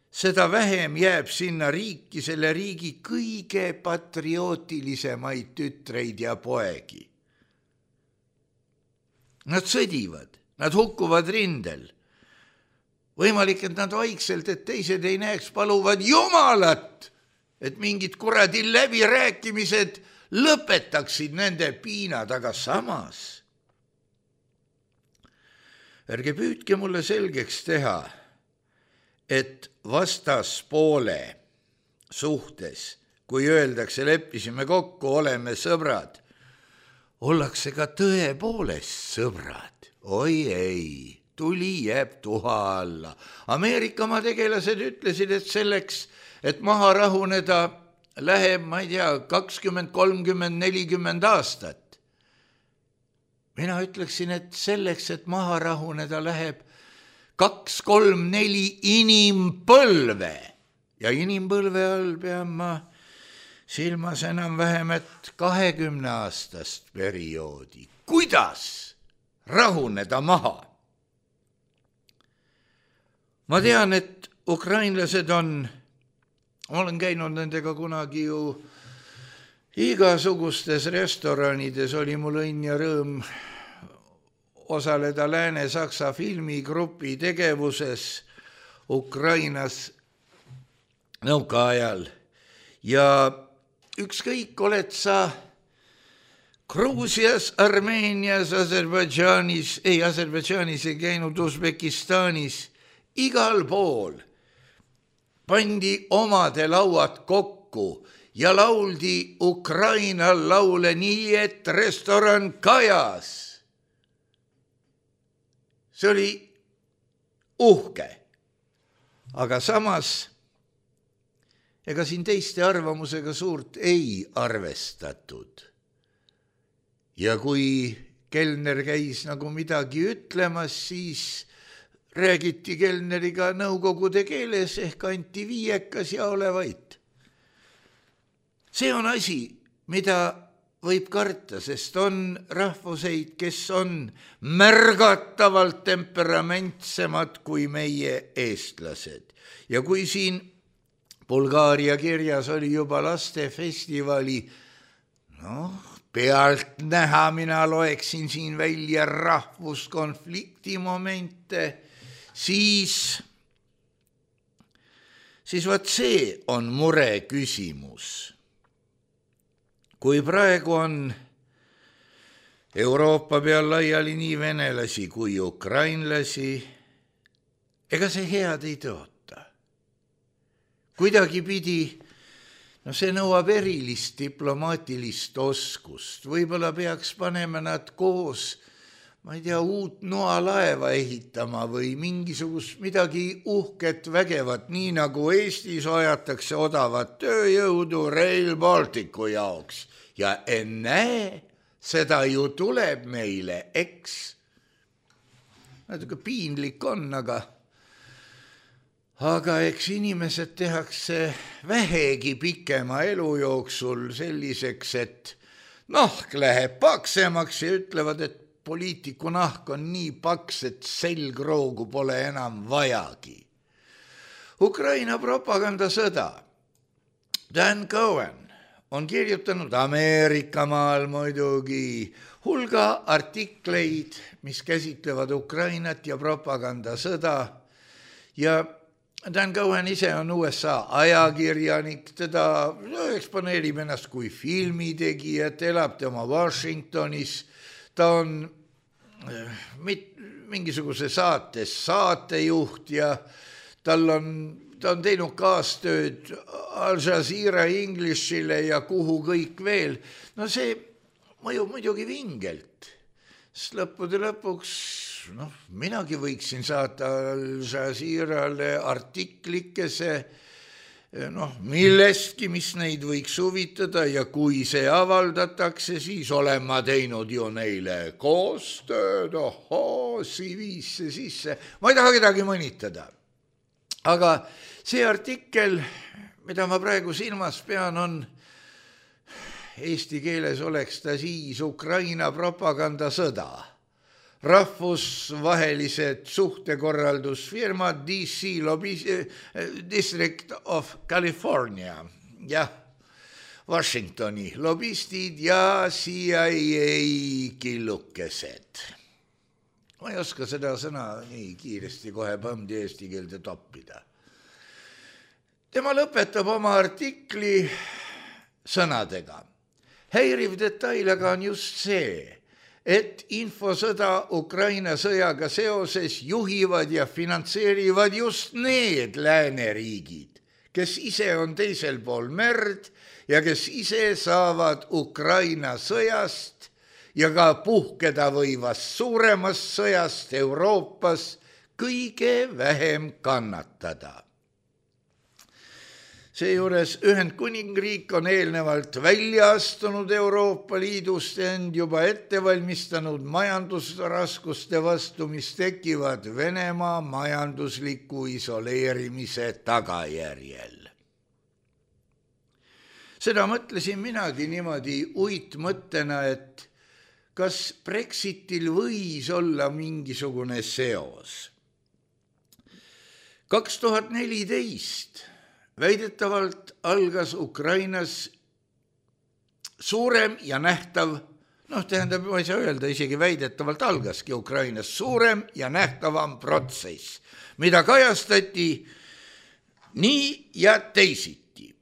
seda vähem jääb sinna riiki selle riigi kõige patriootilisemaid tütreid ja poegi. Nad sõdivad, nad hukkuvad rindel. Võimalik, et nad vaikselt, et teised ei näeks, paluvad Jumalat, et mingid kuradi läbirääkimised lõpetaksid nende piinad, aga samas ärge püüdke mulle selgeks teha, et vastaspoole suhtes, kui öeldakse, leppisime kokku, oleme sõbrad, ollakse ka tõepoolest sõbrad. Oi ei, tuli jääb tuha alla. Ameerikamaa tegelased ütlesid, et selleks, et maha rahuneda, läheb, ma ei tea, 20, 30, 40 aastat. Mina ütleksin, et selleks, et maha rahuneda, läheb 2, 3, 4 inimpõlve. Ja inimpõlve all pean ma silmas enam vähemalt 20-aastast perioodi. Kuidas rahuneda maha? Ma tean, et ukrainlased olen käinud nendega kunagi ju igasugustes restoranides, oli mul õnn ja rõõm osaleda Lääne-Saksa filmigrupi tegevuses Ukrainas nõukaajal. Ja ükskõik oled sa Gruusias, Armeenias, Aserbaidžaanis ei käinud, Usbekistanis, igal pool pandi omade lauad kokku ja lauldi Ukraina laule nii, et restoran kajas. See oli uhke, aga samas ega siin teiste arvamusega suurt ei arvestatud. Ja kui kelner käis nagu midagi ütlemas, siis räägiti kelneriga nõukogude keeles ehk anti viiekas ja ole vait. See on asi, mida võib karta, sest on rahvuseid, kes on märgatavalt temperamentsemad kui meie eestlased. Ja kui siin Bulgaaria kirjas oli juba lastefestivali, pealt näha, mina loeksin siin välja rahvuskonflikti momente, siis vaat see on mure küsimus. Kui praegu on Euroopa peal laiali nii venelasi kui ukrainlasi, ega see head ei tõota. Kuidagi pidi, see nõuab erilist diplomaatilist oskust. Võib-olla peaks panema nad koos, ma ei tea, uut noalaeva ehitama või mingisugust midagi uhket vägevat, nii nagu Eestis ajatakse odavat tööjõudu Rail Balticu jaoks. Ja ennäe, seda ju tuleb meile, eks? Natuke piinlik on, aga eks inimesed tehakse vähegi pikema elu jooksul selliseks, et nahk läheb paksemaks ja ütlevad, et poliitiku nahk on nii paks, et selgroogu pole enam vajagi. Ukraina propagandasõda. Dan Cohen on kirjutanud Ameerikamaal muidugi hulga artikleid, mis käsitlevad Ukrainat ja propagandasõda. Ja Dan Cohen ise on USA ajakirjanik, teda eksponeerib ennast kui filmitegijat, elab tema Washingtonis, ta on mingisuguse saates saatejuht ja ta on teinud kaastööd Al Jazeera Englishile ja kuhu kõik veel. See mõjub muidugi vingelt, sest lõppude lõpuks minagi võiksin saata Al Jazeerale artiklikese millestki, mis neid võiks huvitada ja kui see avaldatakse, siis olen ma teinud ju neile koostööd, CV-sse sisse. Ma ei taha kedagi mõnitada. Aga see artikkel, mida ma praegu silmas pean, on eesti keeles oleks ta siis Ukraina propagandasõda. Rahvusvahelised suhtekorraldusfirmad DC District of California ja Washingtoni lobistid ja CIA killukesed. Ma ei oska seda sõna nii kiiresti kohe põmdi eesti keelde toppida. Tema lõpetab oma artikli sõnadega. Häiriv detail aga on just see, et infosõda Ukraina sõjaga seoses juhivad ja finantseerivad just need lääneriigid, kes ise on teisel pool merd ja kes ise saavad Ukraina sõjast ja ka puhkeda võivast suuremast sõjast Euroopas kõige vähem kannatada. Seejuures Ühendkuningriik on eelnevalt välja astunud Euroopa Liidust end juba ette valmistanud majandusraskuste vastu, mis tekivad Venemaa majandusliku isoleerimise tagajärjel. Seda mõtlesin minagi niimoodi uitmõttena, et kas Brexitil võis olla mingisugune seos. 2014 väidetavalt algas Ukrainas suurem ja nähtav, tähendab, ma ei saa öelda, isegi väidetavalt algaski Ukrainas suurem ja nähtavam protsess, mida kajastati nii ja teisiti.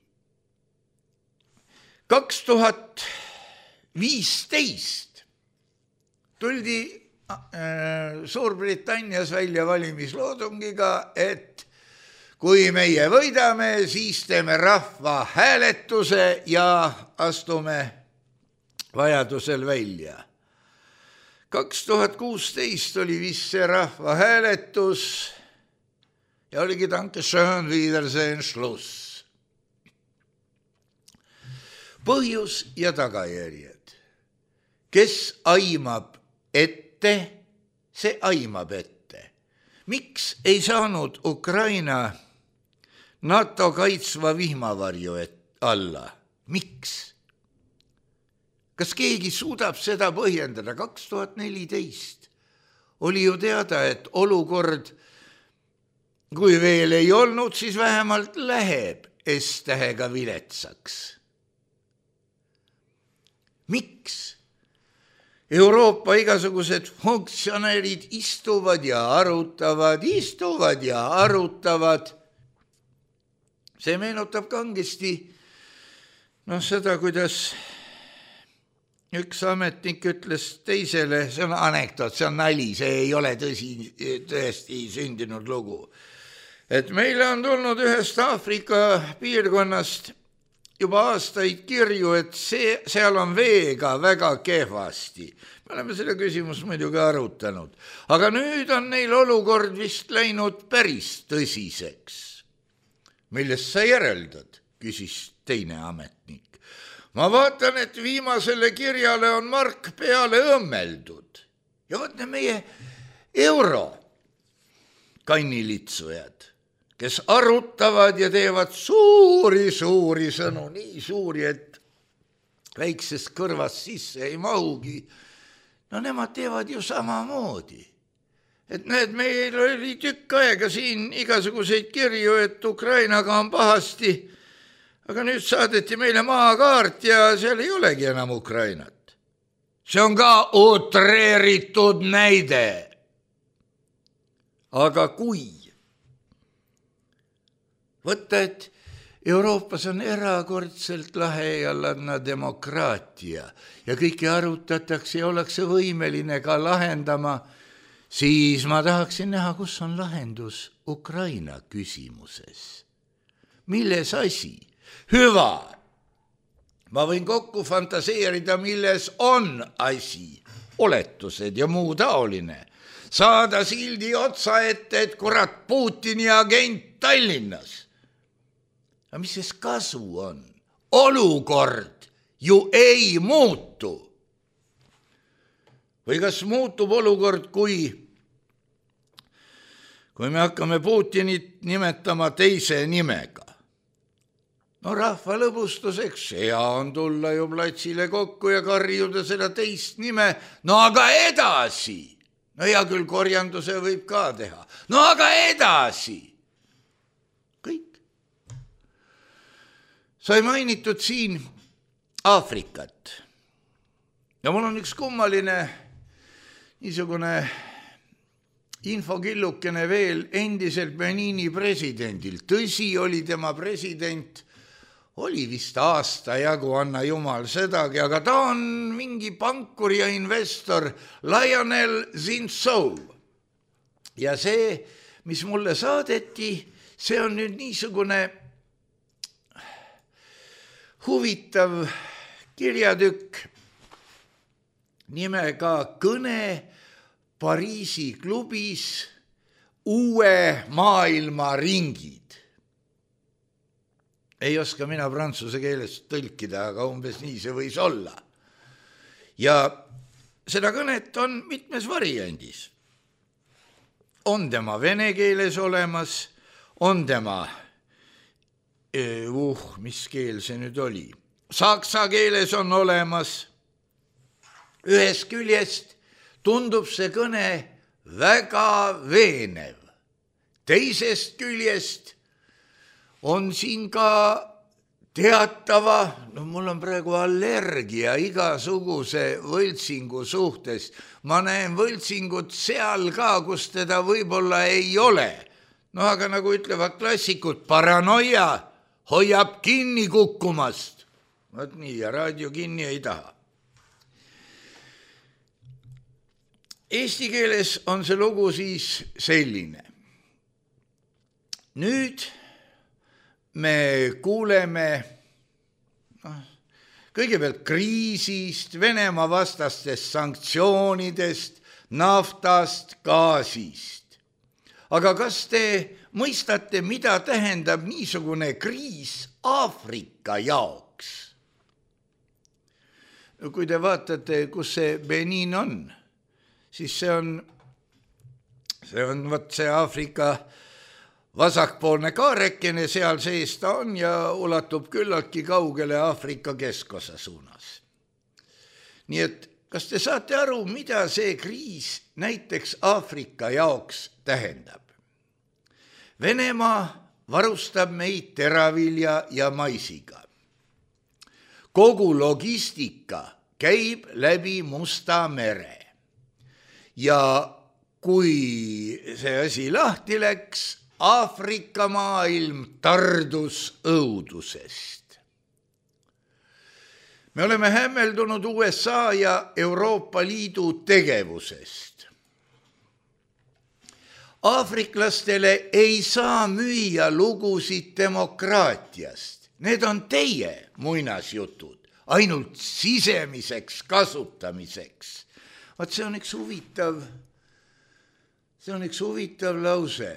2015 tuldi Suurbritannias välja valimisloosungiga, et kui meie võidame, siis teeme rahva hääletuse ja astume vajadusel välja. 2016 oli vist see rahva hääletus ja oligi danke schön, wiedersehen, Schluss. Põhjus ja tagajärjed. Kes aimab ette, see aimab ette. Miks ei saanud Ukraina NATO kaitsva vihmavarju alla? Miks? Kas keegi suudab seda põhjendada? 2014 oli ju teada, et olukord, kui veel ei olnud, siis vähemalt läheb S-tähega viletsaks. Miks? Euroopa igasugused funktsionäärid istuvad ja arutavad. See meenutab kangesti seda, kuidas üks ametnik ütles teisele, see on anekdoot, see on nali, see ei ole tõesti sündinud lugu, et meile on tulnud ühest Aafrika piirkonnast juba aastaid kirju, et seal on veega väga kehvasti. Me oleme selle küsimust muidugi arutanud. Aga nüüd on neil olukord vist läinud päris tõsiseks. Millest sa järeldad? Küsis teine ametnik. Ma vaatan, et viimasele kirjale on mark peale õmmeldud. Ja võtne meie euro kannilitsujad, kes arutavad ja teevad suuri sõnu, nii suuri, et väiksest kõrvast sisse ei mahugi. Nemad teevad ju samamoodi. Et näed, meil oli tükk aega siin igasuguseid kirju, et Ukrainaga on pahasti, aga nüüd saadeti meile maakaart ja seal ei olegi enam Ukrainat. See on ka utreeritud näide. Aga kui võtta, et Euroopas on erakordselt lahe ja ladna demokraatia ja kõike arutatakse ja ollakse võimeline ka lahendama, siis ma tahaksin näha, kus on lahendus Ukraina küsimuses. Milles asi? Hüva. Ma võin kokku fantaseerida, milles on asi. Oletused ja muu taoline. Saada sildi otsa ette, et kurat Putini agent Tallinnas. Aga mis siis kasu on? Olukord ju ei muutu. Või kas muutub olukord, kui me hakkame Putinit nimetama teise nimega? Rahva lõbustuseks hea on tulla ju platsile kokku ja karjuda seda teist nime. Aga edasi. Hea küll, korjanduse võib ka teha. Aga edasi. Kõik. Sai mainitud siin Aafrikat. Ja mul on üks kummaline niisugune infokillukene veel endiselt Benini presidendil. Tõsi oli tema president, oli vist aasta jagu, anna jumal sedagi, aga ta on mingi pankur ja investor Lionel Zinsou. Ja see, mis mulle saadeti, see on nüüd niisugune huvitav kirjatükk nimega Kõne Pariisi klubis uue maailma ringid. Ei oska mina prantsuse keelest tõlkida, aga umbes nii see võis olla. Ja seda kõnet on mitmes variandis. On tema vene keeles olemas, on tema, mis keel see nüüd oli, saksa keeles on olemas. Ühest küljest tundub see kõne väga veenev. Teisest küljest on siin ka teatava, mul on praegu allergia igasuguse võltsingu suhtes. Ma näen võltsingut seal ka, kus teda võib-olla ei ole. Aga nagu ütlevad klassikud, paranoia hoiab kinni kukkumast. Vaat nii, ja raadio kinni ei taha. Eesti keeles on see lugu siis selline. Nüüd me kuuleme kõigepealt kriisist, Venemaa vastastest sanktsioonidest, naftast, gaasist. Aga kas te mõistate, mida tähendab niisugune kriis Aafrika jaoks? Kui te vaatate, kus see Benin on, siis see on see Aafrika vasakpoolne kaarekene, seal sees ta on ja ulatub küllaltki kaugele Aafrika keskosa suunas. Nii et kas te saate aru, mida see kriis näiteks Aafrika jaoks tähendab? Venemaa varustab meid teravilja ja maisiga. Kogu logistika käib läbi Musta mere. Ja kui see asi lahti läks, Aafrika maailm tardus õudusest. Me oleme hämmeldunud USA ja Euroopa Liidu tegevusest. Aafriklastele ei saa müüa lugusid demokraatiast. Need on teie muinasjutud, ainult sisemiseks kasutamiseks. Vaat see on üks huvitav lause.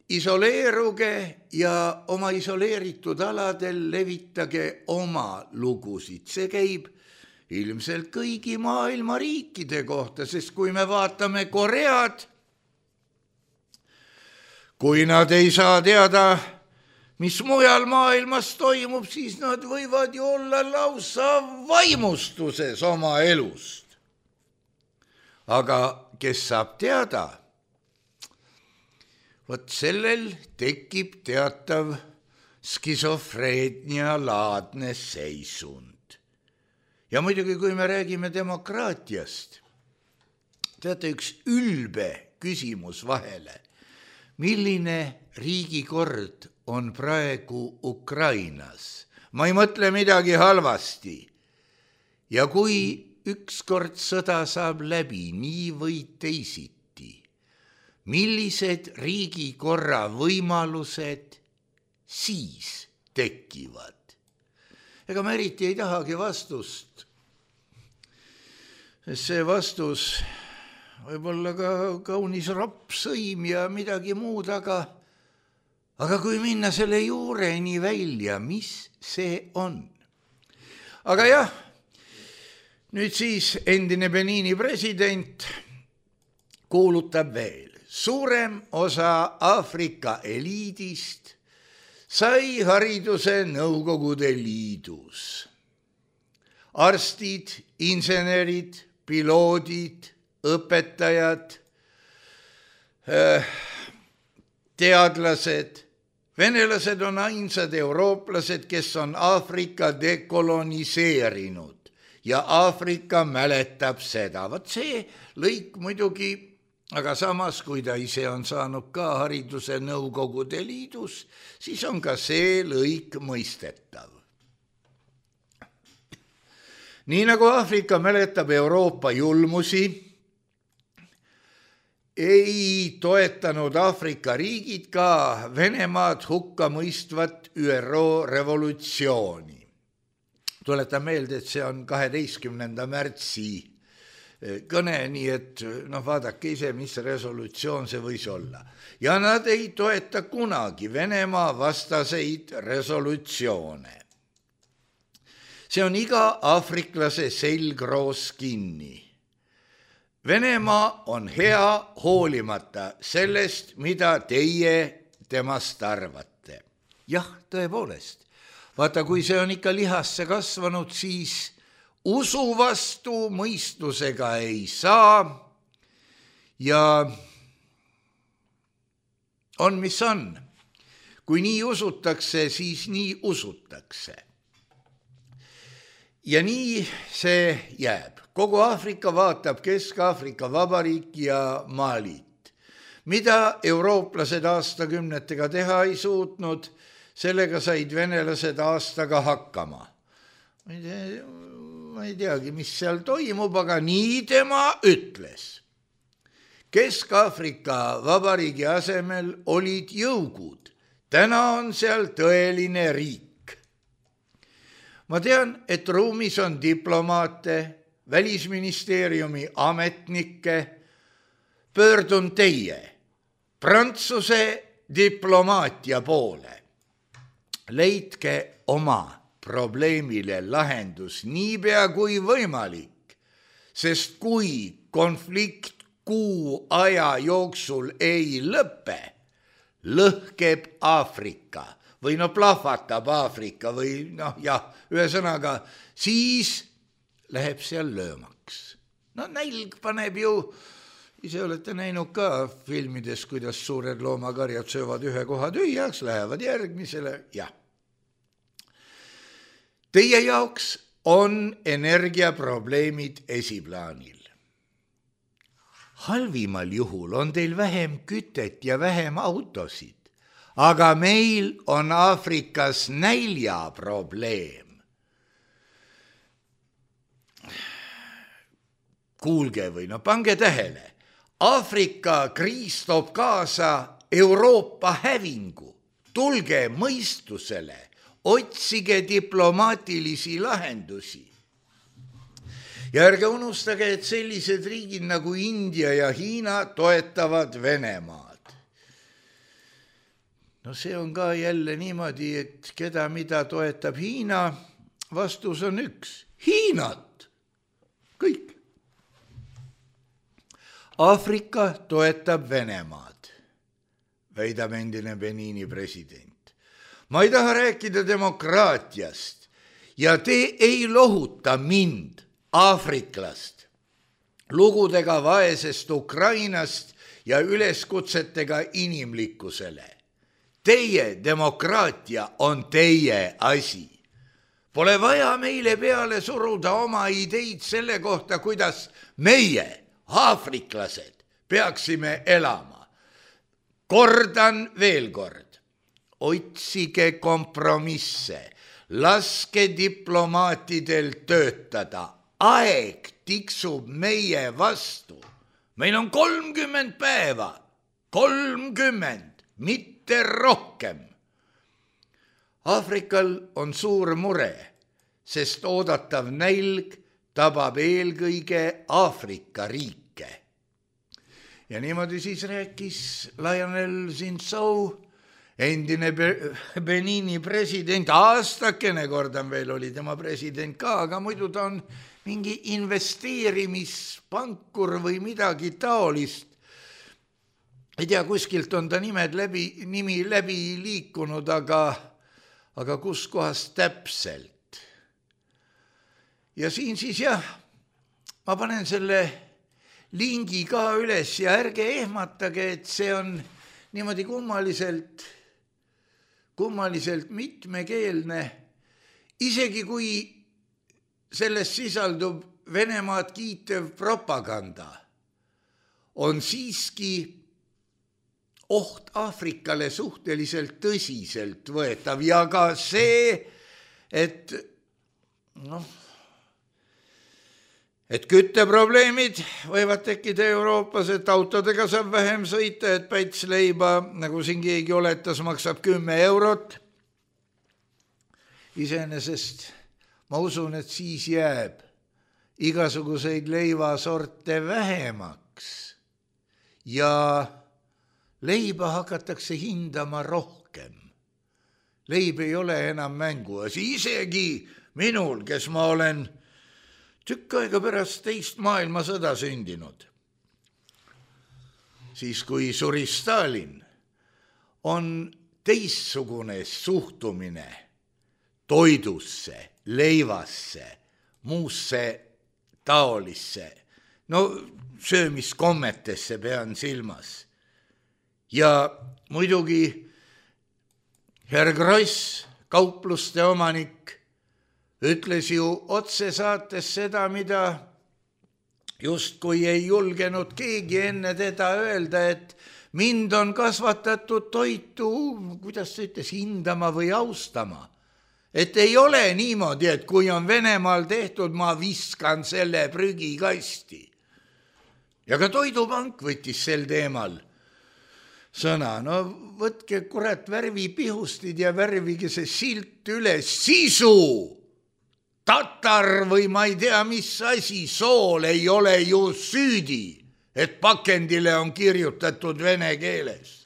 Isoleeruge ja oma isoleeritud aladel levitage oma lugusid. See käib ilmselt kõigi maailma riikide kohta, sest kui me vaatame Koread, kui nad ei saa teada, mis mujal maailmas toimub, siis nad võivad ju olla lausa vaimustuses oma elust. Aga kes saab teada, vot sellel tekib teatav skisofreenia laadne seisund. Ja muidugi, kui me räägime demokraatiast, teate, üks ülbe küsimus vahele. Milline riigikord on praegu Ukrainas? Ma ei mõtle midagi halvasti. Ja kui ükskord sõda saab läbi, nii või teisiti, millised riigikorra võimalused siis tekivad? Ega ma eriti ei tahagi vastust. See vastus võib olla ka kaunis rapsõim ja midagi muud, aga kui minna selle juureni välja, mis see on? Aga jah, nüüd siis endine Benini president kuulutab veel. Suurem osa Aafrika eliidist sai hariduse Nõukogude Liidus. Arstid, insenerid, piloodid, õpetajad, teadlased, venelased on ainsad eurooplased, kes on Aafrika dekoloniseerinud ja Aafrika mäletab seda. Vaat see lõik muidugi, aga samas, kui ta ise on saanud ka hariduse Nõukogude Liidus, siis on ka see lõik mõistetav. Nii nagu Aafrika mäletab Euroopa julmusi, ei toetanud Aafrika riigid ka Venemaad hukka mõistvat ÜRO revolutsiooni. Tuletan meelde, et see on 12. märtsi kõne, nii et vaadake ise, mis resolutsioon see võis olla. Ja nad ei toeta kunagi Venemaa vastaseid resolutsioone. See on iga aafriklase selgroos kinni. Venemaa on hea hoolimata sellest, mida teie temast arvate. Jah, tõepoolest, vaata, kui see on ikka lihasse kasvanud, siis usu vastu mõistusega ei saa ja on, mis on. Kui nii usutakse, siis nii usutakse. Ja nii see jääb. Kogu Aafrika vaatab Kesk-Aafrika Vabariik ja Malit. Mida eurooplased aastakümnetega teha ei suutnud, sellega said venelased aastaga hakkama. Ma ei teagi, mis seal toimub, aga nii tema ütles. Kesk-Aafrika Vabariigi asemel olid jõugud. Täna on seal tõeline riik. Ma tean, et ruumis on diplomaate, välisministeeriumi ametnikke. Pöördun teie, Prantsuse diplomaatia poole. Leidke oma probleemile lahendus niipea kui võimalik, sest kui konflikt kuu aja jooksul ei lõpe, lõhkeb Aafrika või plahvatab Aafrika või ühesõnaga, siis läheb seal löömaks. Nälg paneb ju, ise olete näinud ka filmides, kuidas suured loomakarjad söövad ühe koha tühjaks, lähevad järgmisele, jah. Teie jaoks on energiaprobleemid esiplaanil. Halvimal juhul on teil vähem kütet ja vähem autosid, aga meil on Aafrikas näljaprobleem. Kuulge või pange tähele, Aafrika kriis toob kaasa Euroopa hävingu. Tulge mõistusele, otsige diplomaatilisi lahendusi. Ja ärge unustage, et sellised riigid nagu India ja Hiina toetavad Venemaad. See on ka jälle niimoodi, et keda mida toetab Hiina, vastus on üks. Hiinat! Kõik. Aafrika toetab Venemaad, väidab endine Benini president. Ma ei taha rääkida demokraatiast ja te ei lohuta mind, aafriklast, lugudega vaesest Ukrainast ja üleskutsetega inimlikkusele. Teie demokraatia on teie asi. Pole vaja meile peale suruda oma ideid selle kohta, kuidas meie, aafriklased, peaksime elama. Kordan veel kord, otsige kompromisse, laske diplomaatidel töötada. Aeg tiksub meie vastu. Meil on 30 päeva, 30, mitte rohkem. Aafrikal on suur mure, sest oodatav nälg tabab eelkõige Aafrika riike. Ja niimoodi siis rääkis Lionel Zinsou, endine Benini president, aastakene kordan veel oli tema president ka, aga muidu ta on mingi investeerimispankur või midagi taolist. Ei tea, kuskilt on ta nimi läbi liikunud, aga kus kohas täpselt. Ja siin siis ma panen selle lingi ka üles ja ärge ehmatage, et see on niimoodi kummaliselt mitmekeelne, isegi kui selles sisaldub Venemaad kiitev propaganda, on siiski oht Aafrikale suhteliselt tõsiselt võetav ja ka see, et kütteprobleemid võivad tekkida Euroopas, et autodega saab vähem sõita, et pätsleiba, nagu siin keegi oletas, maksab 10 eurot. Iseenesest ma usun, et siis jääb igasuguseid leivasorte vähemaks ja leiba hakatakse hindama rohkem. Leib ei ole enam mänguasi, isegi minul, kes ma olen tükk aega pärast teist maailmasõda sündinud. Siis kui suri Stalin, on teistsugune suhtumine toidusse, leivasse, muusse taolisse, no söömiskommetesse pean silmas. Ja muidugi Herr Gross, kaupluste omanik, ütles ju otse saates seda, mida justkui ei julgenud keegi enne teda öelda, et mind on kasvatatud toitu, kuidas ta ütles, hindama või austama. Et ei ole niimoodi, et kui on Venemaal tehtud, ma viskan selle prügikasti. Ja ka Toidupank võttis sel teemal sõna. No võtke kurat värvipihustid ja värvige see silt üles. Sisu! Tatar või ma ei tea, mis asi, sool ei ole ju süüdi, et pakendile on kirjutatud vene keeles.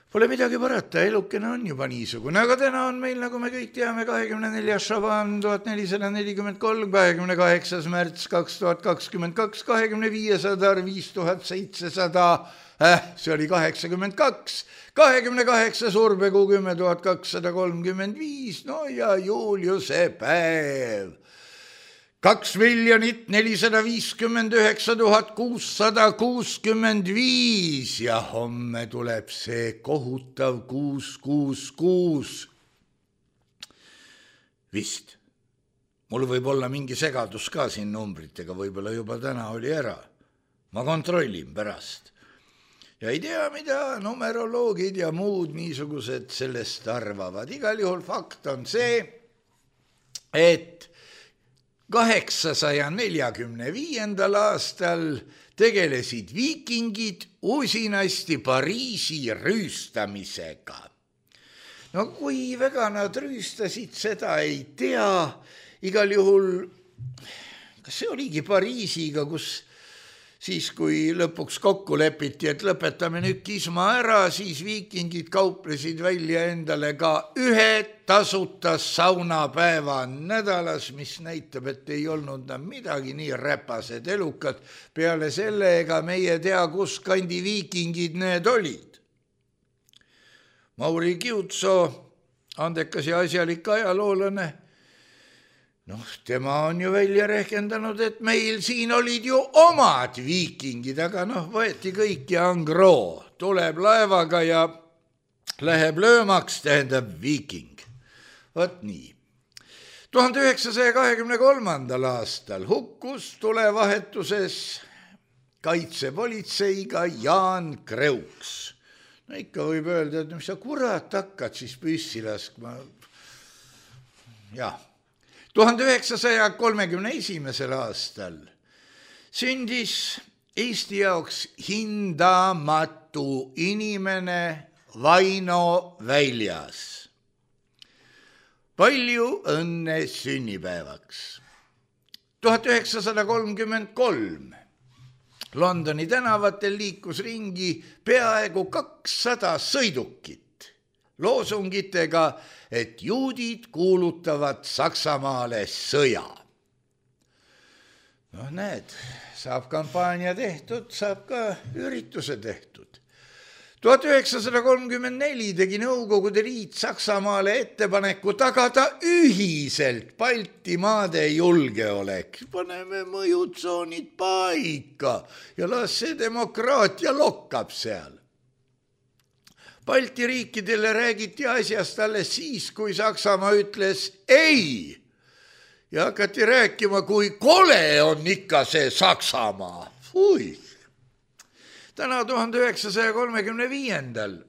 Pole midagi parata, elukene on juba niisugune, aga täna on meil, nagu me kõik teame, 24. Šaban 1443, 28. märts 2022, 25. Sadar 5700, see oli 82, 28. Urbekuu 10 235, no ja Juliuse päev. 2 459 665 ja homme tuleb see kohutav 666. Vist. Mul võib olla mingi segadus ka siin numbritega, võib-olla juba täna oli ära. Ma kontrollin pärast. Ja ei tea, mida numeroloogid ja muud niisugused sellest arvavad. Igal juhul fakt on see, et 845. aastal tegelesid viikingid usinasti Pariisi rüüstamisega. No kui väga nad rüüstasid, seda ei tea. Igal juhul, kas see oligi Pariisiga, kus siis kui lõpuks kokku lepiti, et lõpetame nüüd kisma ära, siis viikingid kauplesid välja endale ka ühe tasuta saunapäeva nädalas, mis näitab, et ei olnud midagi nii räpased elukad. Peale selle ega meie tea, kus kandi viikingid need olid. Mauri Kiutso, andekas ja asjalik ajaloolane, tema on ju välja rehkendanud, et meil siin olid ju omad viikingid, aga võeti kõik ja angroo. Tuleb laevaga ja läheb löömaks, tähendab viiking. Võt nii. 1923. aastal hukkus tulevahetuses kaitsepolitseiga Jaan Kreuks. No ikka võib öelda, et mis sa kurat hakkad siis püssi laskma. Jah. 1931. aastal sündis Eesti jaoks hindamatu inimene Vaino Väljas. Palju õnne sünnipäevaks. 1933 Londoni tänavatel liikus ringi peaaegu 200 sõidukit loosungitega, et juudid kuulutavad Saksamaale sõja. Näed, saab kampaania tehtud, saab ka ürituse tehtud. 1934 tegi Nõukogude Liit Saksamaale ettepaneku tagada ühiselt Baltimaade julgeolek. Paneme mõjutsoonid paika ja las see demokraatia lokkab seal. Balti riikidele räägiti asjast alles siis, kui Saksamaa ütles ei. Ja hakati rääkima, kui kole on ikka see Saksamaa. Fui. Täna 1935.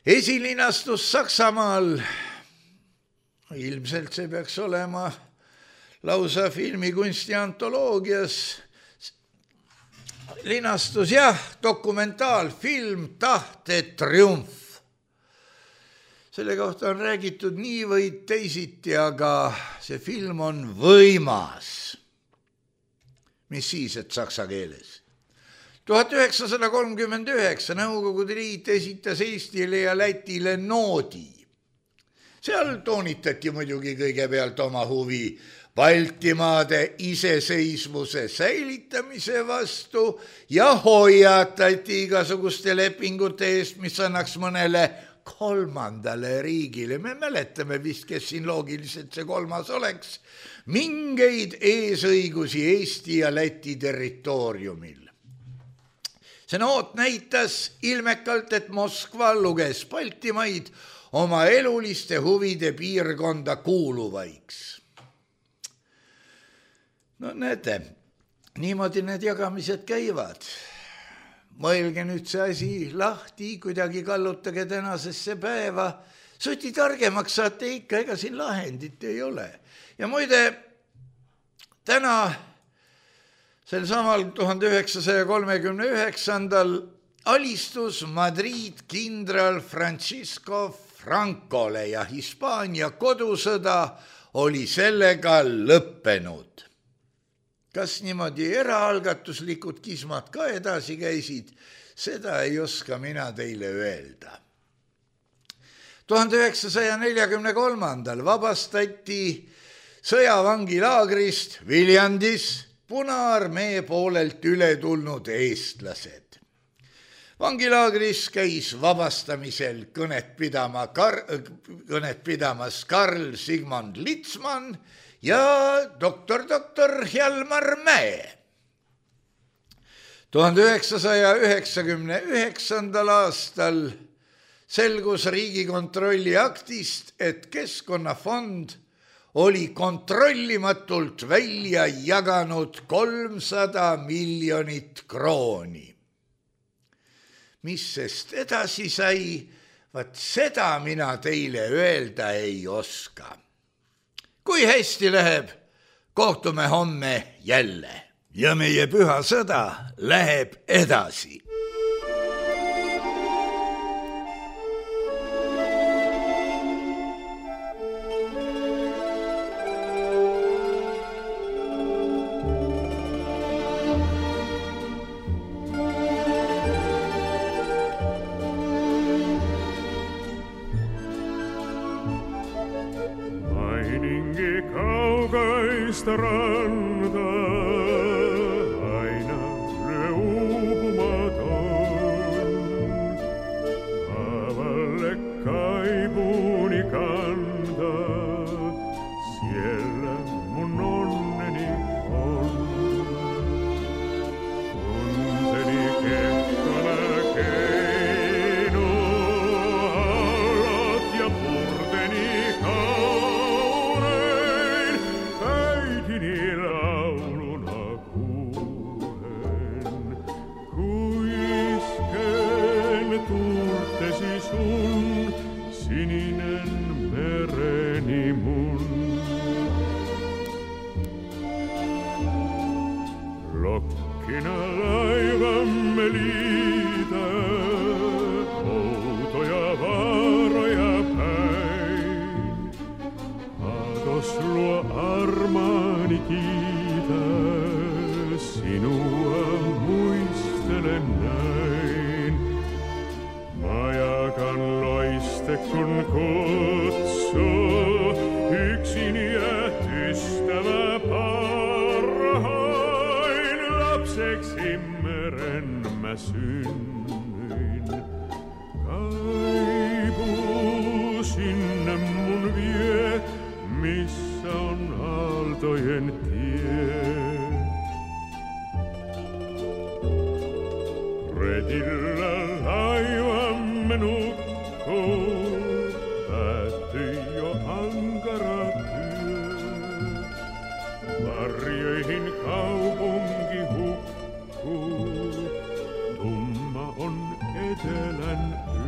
Esilinastus Saksamaal. Ilmselt see peaks olema lausa filmikunsti antoloogias. Linastus, dokumentaalfilm Tahte triumf. Selle kohta on räägitud nii või teisiti, aga see film on võimas. Mis siis, et saksa keeles? 1939 Nõukogude Liit esitas Eestile ja Lätile noodi. Seal toonitati muidugi kõigepealt oma huvi Baltimaade iseseisvuse säilitamise vastu ja hoiatati igasuguste lepingute eest, mis annaks mõnele kolmandale riigile. Me mäletame vist, kes siin loogiliselt see kolmas oleks, mingeid eesõigusi Eesti ja Läti territooriumil. See noot näitas ilmekalt, et Moskva luges Baltimaid oma eluliste huvide piirkonda kuuluvaiks. No näete, niimoodi need jagamised käivad. Mõelge nüüd see asi lahti, kuidagi kallutage tänasesse päeva. Suti targemaks saate ikka, ega siin lahendit ei ole. Ja muide, täna sel samal 1939. alistus Madrid kindral Francisco Francole ja Hispaania kodusõda oli sellega lõppenud. Kas niimoodi eraalgatuslikud kismad ka edasi käisid, seda ei oska mina teile öelda. 1943. vabastati sõjavangilaagrist Viljandis Punaarmee poolelt üle tulnud eestlased. Vangilaagris käis vabastamisel kõnet pidamas Karl Sigmund Litsman ja doktor Hjalmar Mäe. 1999. aastal selgus Riigikontrolli aktist, et Keskkonnafond oli kontrollimatult välja jaganud 300 miljonit krooni. Mis sest edasi sai, vaat seda mina teile öelda ei oska. Kui hästi läheb, kohtume homme jälle ja meie püha sõda läheb edasi. Randa aina uupumaton, avalle kaibuni kanda, siellä mun onneni on. Tunteni kekkona keino, alat ja purteni kaunein, lauluna kuulen, kuisken tuurtesi sun, sininen mereni mun. Lokkina laivamme liitä, outoja vaaroja päin, aatos luo armaani kiitä, sinua muistelen näin. Majakan loiste kun kutsuu, yksin jäät ystävä parhain. Lapseksi meren mä synnyin, kaipuu sinne mun vie, missä on aaltojen tie. Retillä laivamme nukkuu, päättyi jo ankara työ. Varjoihin kaupunki hukkuu, tumma on etelän yö.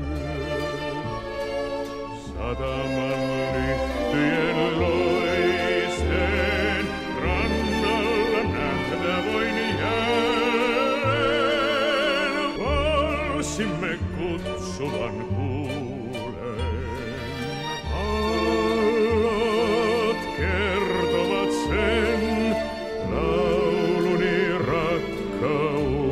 Sataman lyhtyjen loiseen rannalla nähdä voin jälleen. Valsimme kutsuvan kuulen. Aallot kertovat sen lauluni rakkauden.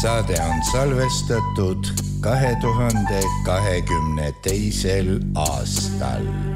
Saade on salvestatud 2022. aastal.